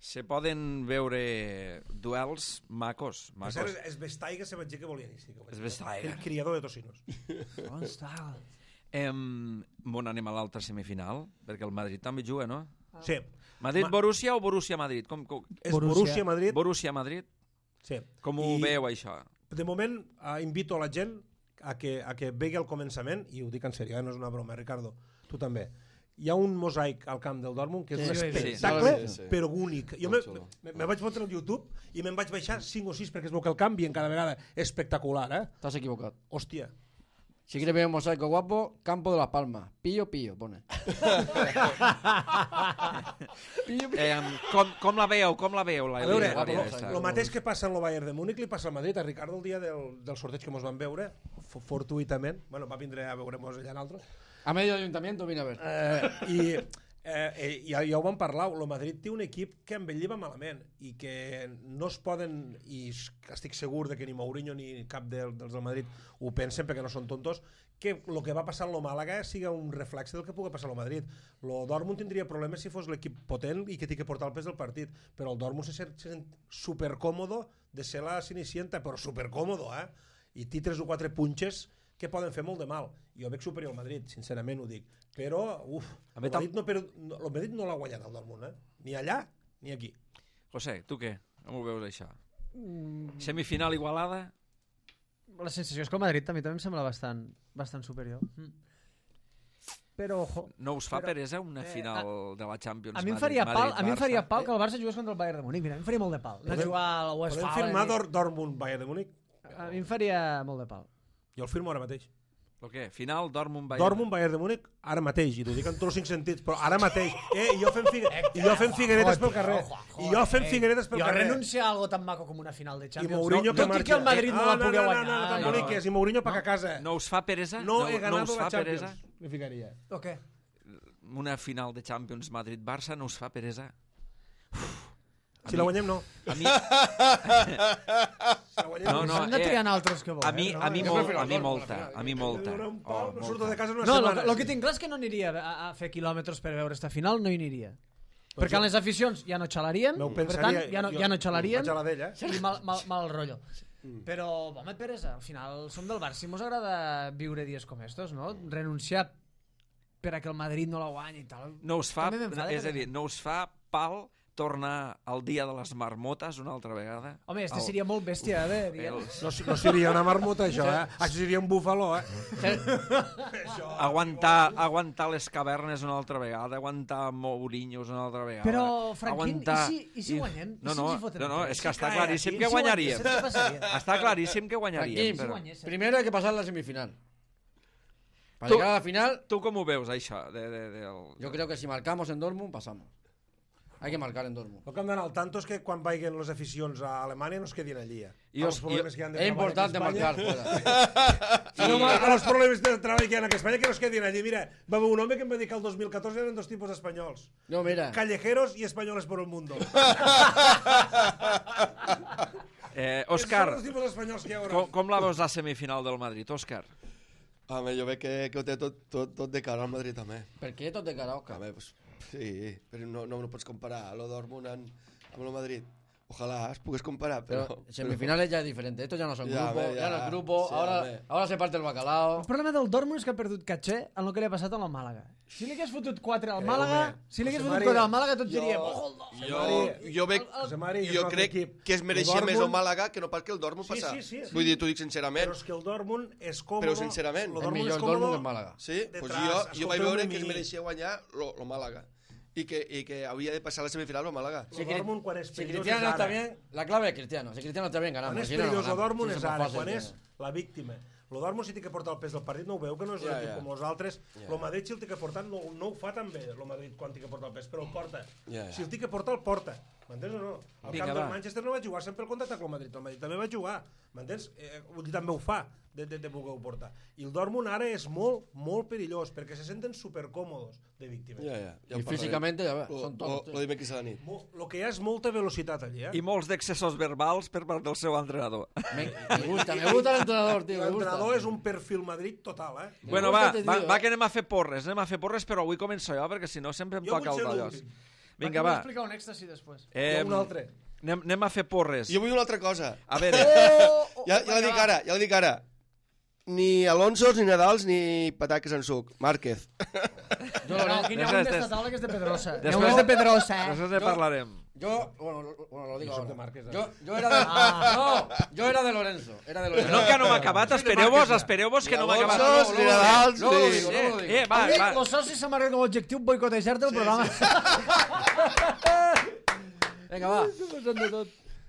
Se poden veure duels macos, Per macos. cert, és Vestaiga se vaig dir que volia iniciar. És Vestaiga. El criador de tocinos. On està? Em, bon, anem a l'altra semifinal, perquè el Madrid també juga, no? Sí. Madrid-Borussia o Borussia-Madrid? Com, com... És Borussia. Borussia-Madrid. Borussia-Madrid? Sí. Com ho I veu, això? De moment, eh, invito a la gent a que, a que vegi el començament, i ho dic en sèrio, eh, no és una broma, Ricardo, tu també. Hi ha un mosaic al camp del Dortmund que és Sí, un sí, sí. espectacle, Sí, sí, sí. però únic. Jo me, Molt xulo. me, me vaig fotre al YouTube i me'n vaig baixar cinc o sis perquè es veu que el canvi en cada vegada és espectacular, eh? Estás equivocado. Hòstia. Si quieres ver un mosaico guapo, Campo de las Palmas. Pillo, pillo, pone. pillo, pillo. Eh, com, com la veu? Com la veu? La A veure, guapo, eliminatòria guapo, aquesta? el mateix que passa en el Bayern de Múnich li passa al Madrid, a Ricardo el dia del, del sorteig que mos van veure, f- fortuïtament, bueno, va vindre a veure-mos allà en altres, A medio ayuntamiento vine a ver. eh, i eh, eh, ja, ja ho vam parlar, el Madrid té un equip que envelliva malament i que no es poden, i es- estic segur de que ni Mourinho ni cap del, dels del Madrid ho pensen perquè no són tontos, que el que va passar en lo Màlaga siga un reflexe del que pugui passar al Madrid. Lo Dortmund tindria problemes si fos l'equip potent i que té que portar el pes del partit, però el Dortmund se sent, se sent supercòmodo de ser la Cenicienta, però supercòmodo, eh? I té tres o quatre punxes que poden fer molt de mal. Jo veig superior al Madrid, sincerament ho dic. Però, uf, A el mi tam- Madrid no, però, no, el Madrid no l'ha guanyat el Dortmund, eh? Ni allà, ni aquí. José, tu què? Com ho veus, això? Semifinal igualada? La sensació és que el Madrid també, també em sembla bastant, bastant superior. Mm. Però, ojo, No us fa Però, peresa una eh, final de la Champions a mi em Madrid- faria pal, a mi em faria Madrid-Barça? pal que el Barça jugués contra el Bayern de Múnich. Mira, a mi em faria molt de pal. Anar a Podem- jugar al Podem Westfalen. firmar i- Dor Dortmund Bayern de Múnich? A mi em faria molt de pal. Jo el firmo ara mateix. El què? Final Dortmund-Bayern? Dortmund Bayern de Múnich ara mateix, i t'ho dic en tots els cinc sentits, però ara mateix. Eh, i jo fent, figue... I jo fent figueretes pel carrer. I jo fent figueretes pel Jo carrer. renuncio a algo tan maco com una final de I Champions. Mourinho no, que tot i marxa. que el Madrid no, Ah, la pugui no, no, guanyar. no, no, tan no, boniques. I Mourinho pa a casa. No us fa peresa? No he no ganat us la fa Champions. peresa? Me ficaria. O què? Una final de Champions Madrid-Barça no us fa peresa? Si la guanyem, no. A mi, Si la guanyem, No, no, S'han de eh, triar altres que volen. a mi, no? a mi, Jo molt, prefiero a el mi Dortmund, molta, al final. a mi molta. Donar un Oh, pal, no molta. surto de casa una No, setmana. el que tinc clar és que no aniria a, a fer quilòmetres per veure esta final, no hi aniria. Perquè les aficions ja no xalarien, M'ho per pensaria, tant, ja no, jo- ja no xalarien, vaig a la d'ella, eh? i mal, mal, mal rotllo. Però, home, peresa, al final som del Barça i mos agrada viure dies com estos, no? Renunciar per a que el Madrid no la guanyi i tal. No us fa, També m'enfada, és a perquè- dir, no us fa pal tornar al dia de les marmotes una altra vegada? Home, este El- seria molt bèstia, eh? de dir. el- No, no seria una marmota, això, eh? Això seria un búfalo, eh? aguantar, aguantar les cavernes una altra vegada, aguantar Mourinhos una altra vegada. Però, Franquín, aguantar... i si- i si guanyem? I No, si no, ens hi foten no, no, tres? és que Si està cae claríssim aquí, que si guanyem, guanyaríem. saps què passaria? Està claríssim que guanyaríem. Franquín, Si Però... guanyéssim. Primero hay que pasar la semifinal. Para Tú- llegar a la final, Tu com ho veus, això? De, de, de, el... yo creo que si marcamos en Dortmund, pasamos. Hay que marcar en Dortmund. El que hem d'anar al tanto és que quan vagin les aficions a Alemanya no es quedin allí. Eh? I A os- los problemes i- que hi ha de Es treball importante aquí a Espanya. marcar fuera. A, no, a los problemes de treball que hi ha aquí a Espanya que no es quedin allí. Mira, va haver un home que em va dir que el dos mil catorze eren dos tipus espanyols. No, mira. Callejeros y españoles por el mundo. Eh, Són Òscar, els tipus espanyols que hi haurà. com, com la veus la semifinal del Madrid, Òscar? Home, jo veig que, que ho té tot, tot, tot de cara al Madrid també. ¿Por qué tot de cara, Òscar? Home, pues, sí, però no, no, no pots comparar lo Dortmund amb, amb el Madrid. Ojalá es pogués comparar, però... Pero semifinales ya es diferente. Estos ya no son Ya, grupos, ve, ya, ya. no es grupo. Sí, ahora, hombre. ahora se parte el bacalao. El problema del Dortmund és que ha perdut caché en el que li ha passat al Màlaga. Si li hagués fotut quatre al Creu-me. Màlaga, si li hagués José fotut María, quatre al Màlaga, tots jo- diríem... "Ojo, el Dortmund". Jo, Mari- jo, veig, José Mari, és jo un altre crec equip. que es mereixia El més el Dortmund- Màlaga que no pas que el Dortmund Sí, passar. sí, sí, sí. Vull dir, t'ho dic sincerament. Però és que el Dortmund és còmode. Però sincerament. el És Dortmund millor és el Dortmund còmode que el Màlaga. Sí, de pues tras, jo, jo vaig escolteu-me veure a que es mi. mereixia guanyar lo, lo Màlaga i que, i que havia de passar a la semifinal el Màlaga. El Dortmund, quan és Si perillós, Cristiano és está ara. bien, la clave es Cristiano. Si Cristiano está bien, Quan ganamos. és Si no, no perillós el ganamos. Dortmund Sí, és eso ara, fácil, quan que- és la víctima. El Dortmund si té que portar el pes del partit, no ho veu, que no és un Ja, equip ja. com els altres. Ja. El Madrid si el té que portar no, no ho fa tan bé, el Madrid quan té que portar el pes, però el porta. Ja, ja. Si el té que portar, el porta. M'entens o no? Al Vinga, camp va. del Manchester no va jugar sempre el contacte amb el Madrid. El Madrid també va jugar, m'entens? Eh, vull dir, també ho fa, de, de, de voler-ho portar. I el Dortmund ara és molt, molt perillós, perquè se senten supercòmodos de víctimes. Ja, ja. ja I físicament, ja ve, Lo, són lo, tots. lo dimecres a la nit. El que hi ha és molta velocitat allí, eh? I molts d'excessos verbals per part del seu entrenador. Me, me gusta, me gusta l'entrenador, tio, me gusta. L'entrenador és un perfil Madrid total, eh? Me Bueno, gusta va, este va, tio, va eh? que anem a fer porres, anem a fer porres, però avui començo jo, perquè si no sempre em Jo toca vull el ser d'allòs. l'últim. Vinga, Va. va. explicar un èxtasi després. Eh, Jo un altre. anem, anem a fer porres. Jo vull una altra cosa. A veure, Oh, Ja, ja la dic ara, ja la dic ara. Ni Alonsos, ni Nadals, ni pataques en suc. Márquez. Jo, No, no, aquí n'hi ha Després, un d'esta des- taula que és de Pedrosa. N'hi ha després- un és de Pedrosa, eh? després ne Jo- parlarem. yo, bueno, lo, bueno, lo digo Jo soc de ahora. Márquez, eh? Yo, yo era de, no, yo era de Lorenzo, era de Lorenzo. No, que no m'ha acabat, espereu-vos, espereu-vos que no m'ha acabat. Alonso, ni Nadals, Luego lo ni... digo, luego lo digo. Eh, va, Amic, va. los socis s'han marcat com a objectiu boicotejar-te el programa. Venga, va.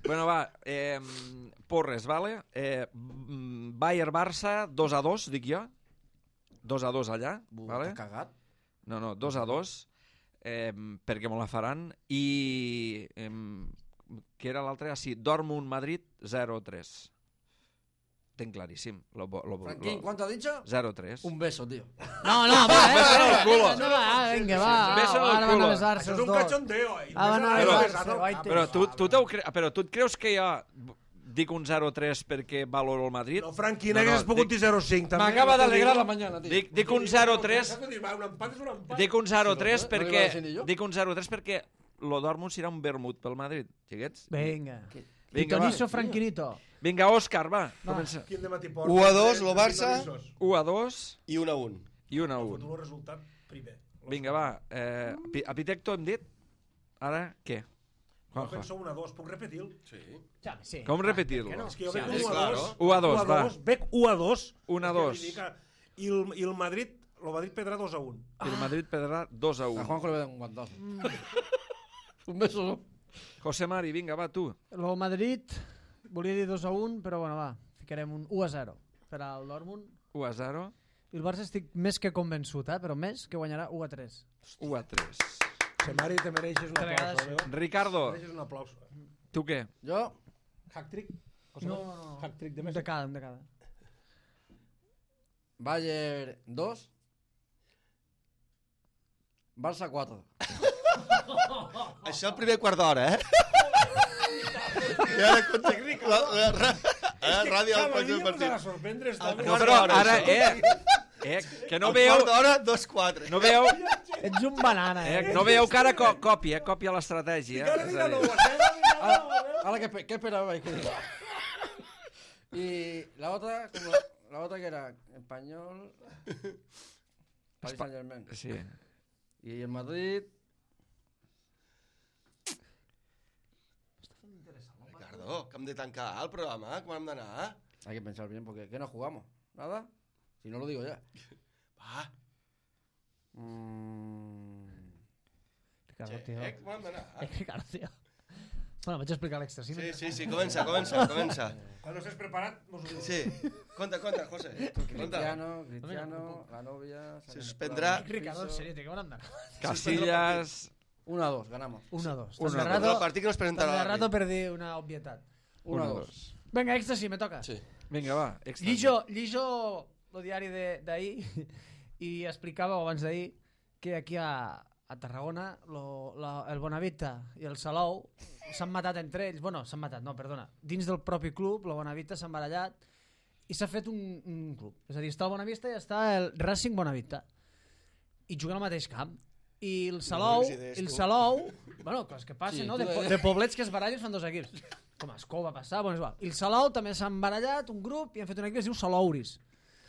Bueno, va, eh, porres, vale? Eh, mm, Bayern-Barça, dos a dos, dic jo. dos a dos allà, vale? T'has cagat? No, no, dos a dos, eh, perquè me la faran. I... Eh, què era l'altre? Ah, sí, Dortmund-Madrid, zero a tres. Tenc claríssim. Lo, lo, lo, Franquín, ¿cuánto has dicho? zero a tres. Un beso, tío. No, no, va, eh? Beso en el eh, culo. No, va, vinga, va. Beso en el Ara van culo. a besar-se Això és els un dos. cachondeo, eh? Ah, van a Però- besar-se, guaite. Però tu, tu, t'ho cre... però tu et creus que jo dic un zero a tres perquè valoro el Madrid? No, Franqui, No, no, n'hagués pogut dic- dir zero a cinc, també. M'acaba no t'ho d'alegrar digo. la mañana, tío. Dic, dic un zero a tres Això que dius, va, un empat és un empat. dic un zero a tres No li va perquè decir ni jo. dic un zero a tres perquè lo Dortmund serà un vermut pel Madrid, xiquets. Vinga. Vinga, va. Pitonizo Franquinito. Vinga, Òscar, va, comença. Quin de matí porta? u a dos, lo Barça. u a dos I un a un. i un a Un. un. El resultat primer. Vinga, va. Eh, Pi- Epitecto hem dit? Ara, què? Jo Juanjo. penso un a dos, puc repetir-lo? Sí. Ja, sí. Com repetir-lo? Per què no? És que jo Sí, veig sí, un a claro. dos. u a dos, va. Veig u a dos. un a És que dos. vull dir que- I el, i el Madrid, el Madrid perdrà dos a un. I el Madrid perdrà dos a A un. Juanjo le voy a dar un guantazo. Un beso, ¿no? José Mari, vinga, va, tu. El Madrid volia dir dos a un, però bueno, va, ficarem un u a zero per al Dortmund. u a zero, I el Barça estic més que convençut, eh? però més que guanyarà u a tres. u a tres. Semari, te mereixes un Te aplauso. vegades- eh? Ricardo, Mereixes un aplauso. tu què? Yo, Hack-trick? No, no, no. Hack-trick de Un Messi. de cada, un de cada. Bayern dos, Barça cuatro. Això el primer quart d'hora, eh? I ara contra la, la, la, la ràdio del Cada pròxim dia ens ha de partit. sorprendre. El Està... No, quart però d'hora, ara, això. eh, eh, que no El veieu, quart d'hora, dos quatre. no veieu, Ets un banana, eh? eh, no veieu que ara co copia, eh, copia l'estratègia. Ara És diga a no, dir, Ahora, ahora ¿qué, espe- qué esperabais que diga? Y la otra, como la, la otra que era español, Paris Saint Germain. sí. Y el Madrid, Ricardo, que hem de tancar el programa, com hem d'anar? hay que pensar bien, porque ¿qué nos jugamos? ¿Nada? Si no lo digo ya. Va, Mm, Ricardo, tio. eh, com hem d'anar? Eh, Ricardo, tio. Bueno, vaig explicar l'extra, sí? Sí, sí, sí, comença, comença, comença. Quan estés preparat, mos ho dius. Sí, conta, conta, José. Conta. Cristiano, Cristiano, la novia... Se suspendrà. Ricardo, en sèrio, tio, que van anar? Casillas, uno a dos, ganamos. un a dos. Un a Tant de dos. El rato, partit que no es tant presentarà de a rato per dir una obvietat. uno a uno, dos. dos. Vinga, èxtasi, me toca. Sí. Vinga, va, extra. Llijo, llijo el diari de- d'ahir i explicava abans d'ahir que aquí a, a Tarragona lo, la, el Bonavita i el Salou s'han matat entre ells, bueno, s'han matat, no, perdona, dins del propi club, el Bonavita s'ha embarallat i s'ha fet un, un club, és a dir, està el Bonavita i està el Racing Bonavita i juguen al mateix camp i el Salou, bones idees, el tu. Salou, bueno, coses que passen, Sí, no? tu De, po- deies. de poblets que es barallen fan dos equips. Com a Escó va passar, bueno, és igual. I el Salou també s'ha embarallat, un grup, i han fet un equip que es diu Salouris.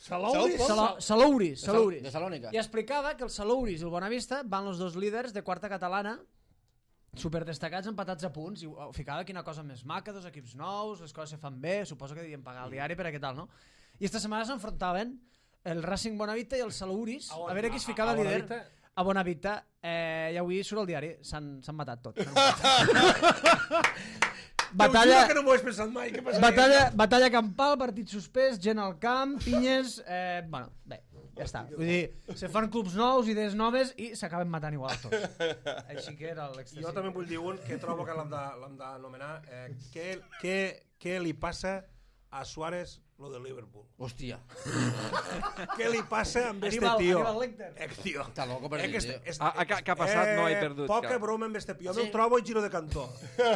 Salouris? Sala- Salouris, De Sal- Salouris. de Salónica. I explicava que el Salouris i el Bonavista van els dos líders de quarta catalana superdestacats empatats a punts i ho ficava quina cosa més maca, dos equips nous, les coses se fan bé, suposo que devien pagar el diari per a què tal, no? I esta setmana s'enfrontaven el Racing Bonavita i el Salouris a veure qui es ficava a líder. Bonavita? A Bonavita, eh, i avui surt el diari, s'han s'han matat tots. s'han matat. Batalla... Batalla, que no m'ho hagués pensat mai. Què passaria? batalla, batalla campal, partit suspès, gent al camp, pinyes... Eh, bueno, bé, Ja està. Vull dir, se fan clubs nous, idees noves i s'acaben matant igual tots. Així que era l'extasi. Jo també vull dir un que trobo que l'hem de- l'hem d'anomenar. Eh, què, què, què li passa a Suárez lo del Liverpool? Hòstia. Què li passa amb este Aníbal- tio? Aníbal Lecter. Eh, tio. Està loco per Eh, dir, que este- tio. este- Ah, ah, què- què ha passat? No he perdut Poca cap. broma amb este tio. Sí. Me'l trobo i giro de cantó.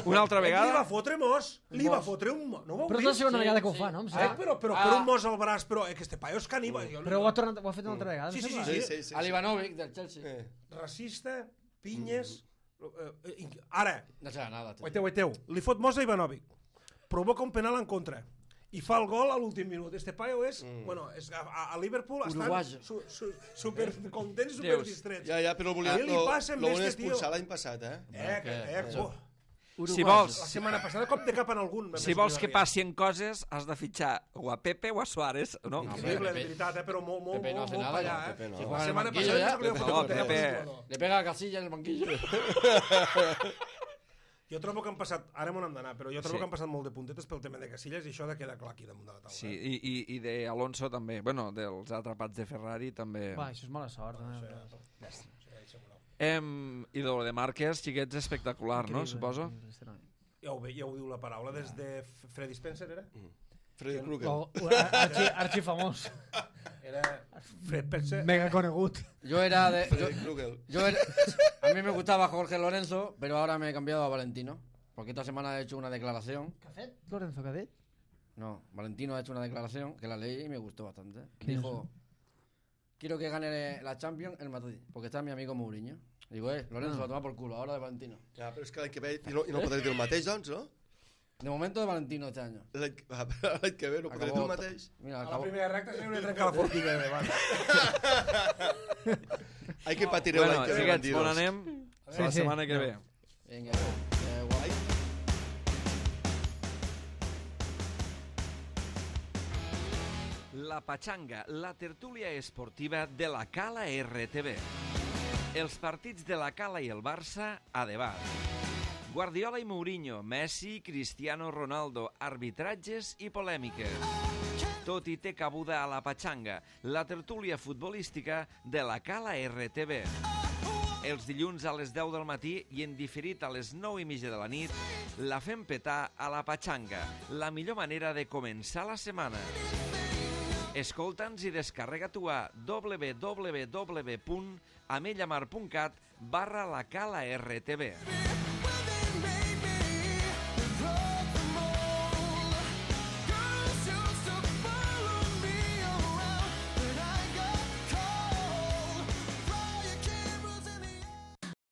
Una altra Li va vegada? fotre mos. Li va fotre un mos. No ho heu Però és vist? la segona Sí, vegada que ho sí. fa, no? Em Eh, sembla. però, però Ah. per un mos al braç, però eh, que este paio és caníbal. Jo- Però ho ha, tornat, ho ha fet una altra vegada, em Sí, sí, sembla. sí, Sí, sí, sí. A l'Ivanovic, del Chelsea. Eh. Racista, pinyes... eh, eh, Ara, No serà nada, tio. oiteu, oiteu, li fot mos a Ivanovic. Provoca un penal en contra. I fa el gol a l'últim minut. Este paio és... Mm. Bueno, és, a, a Liverpool estan Uruguayo. su, su, super contents i super Deus. distrets. Ja, ja, però el volia, Què li lo, passa amb lo volien este tio? expulsar l'any passat, eh? Eh, que, eh, Això. oh. Si La vols, setmana passada cop de cap en algun. si vols que passin coses, has de fitxar o a Pepe o a Suárez, no? No, Increïble, de Pepe- veritat, eh? Però molt, molt, Pepe no molt, hace molt nada, allà, no, eh? Pepe no. Si La juega en el setmana banquillo passada ya, no se li ha Pepe, fotut no, un tema, Pepe. el jugador. le pega a Casilla en el banquillo. Jo trobo que han passat, ara m'on hem d'anar, però jo trobo Sí. que han passat molt de puntetes pel tema de Casillas i això ha de quedar clar aquí damunt de la taula. Sí, i, i, i de Alonso també. Bueno, dels atrapats de Ferrari també. Va, això és mala sort. Eh? Em, I de lo de Márquez, xiquets, espectacular, no? Suposo. Ja ho, ve, ja ho diu la paraula, des de F- Freddy Spencer, era? Freddy Krueger. O, o, archi, archi famós. Era Fred Spencer. Mega conegut. Yo era de... Yo, Freddy Krueger. yo era- a mí me gustaba Jorge Lorenzo, pero ahora me he cambiado a Valentino. Porque esta semana he hecho una declaración. Què ha fet? Lorenzo, què ha dit? No, Valentino ha hecho una declaración que la leí y me gustó bastante. ¿Qué Dijo, quiero que gane la Champions el Madrid, porque está mi amigo Mourinho. Digo, eh, Lorenzo, a tomar por culo, ahora de Valentino. Ja, però és que l'any que ve i no, i no podré dir el mateix, doncs, no? De momento de Valentino este año. L'any ah, però l'any que ve no podré dir el mateix. Mira, A la acabó. primera recta se li trenca la forquilla de davant. Hay que patireu Bueno, l'any que ve, xiquets, bandidos. on anem? Sí, La sí. setmana que ve. Venga, eh, guay. La Pachanga, la tertúlia esportiva de la Cala R T V. Els partits de la Cala i el Barça a debat. Guardiola i Mourinho, Messi, Cristiano Ronaldo, arbitratges i polèmiques. Tot hi té cabuda a la Pachanga, la tertúlia futbolística de la Cala R T V. Els dilluns a les deu del matí i en diferit a les nou i mitja de la nit, la fem petar a la Pachanga, la millor manera de començar la setmana. Escolta'ns i descarrega tu a w w w punt amellamar punt cat barra la Cala R T V.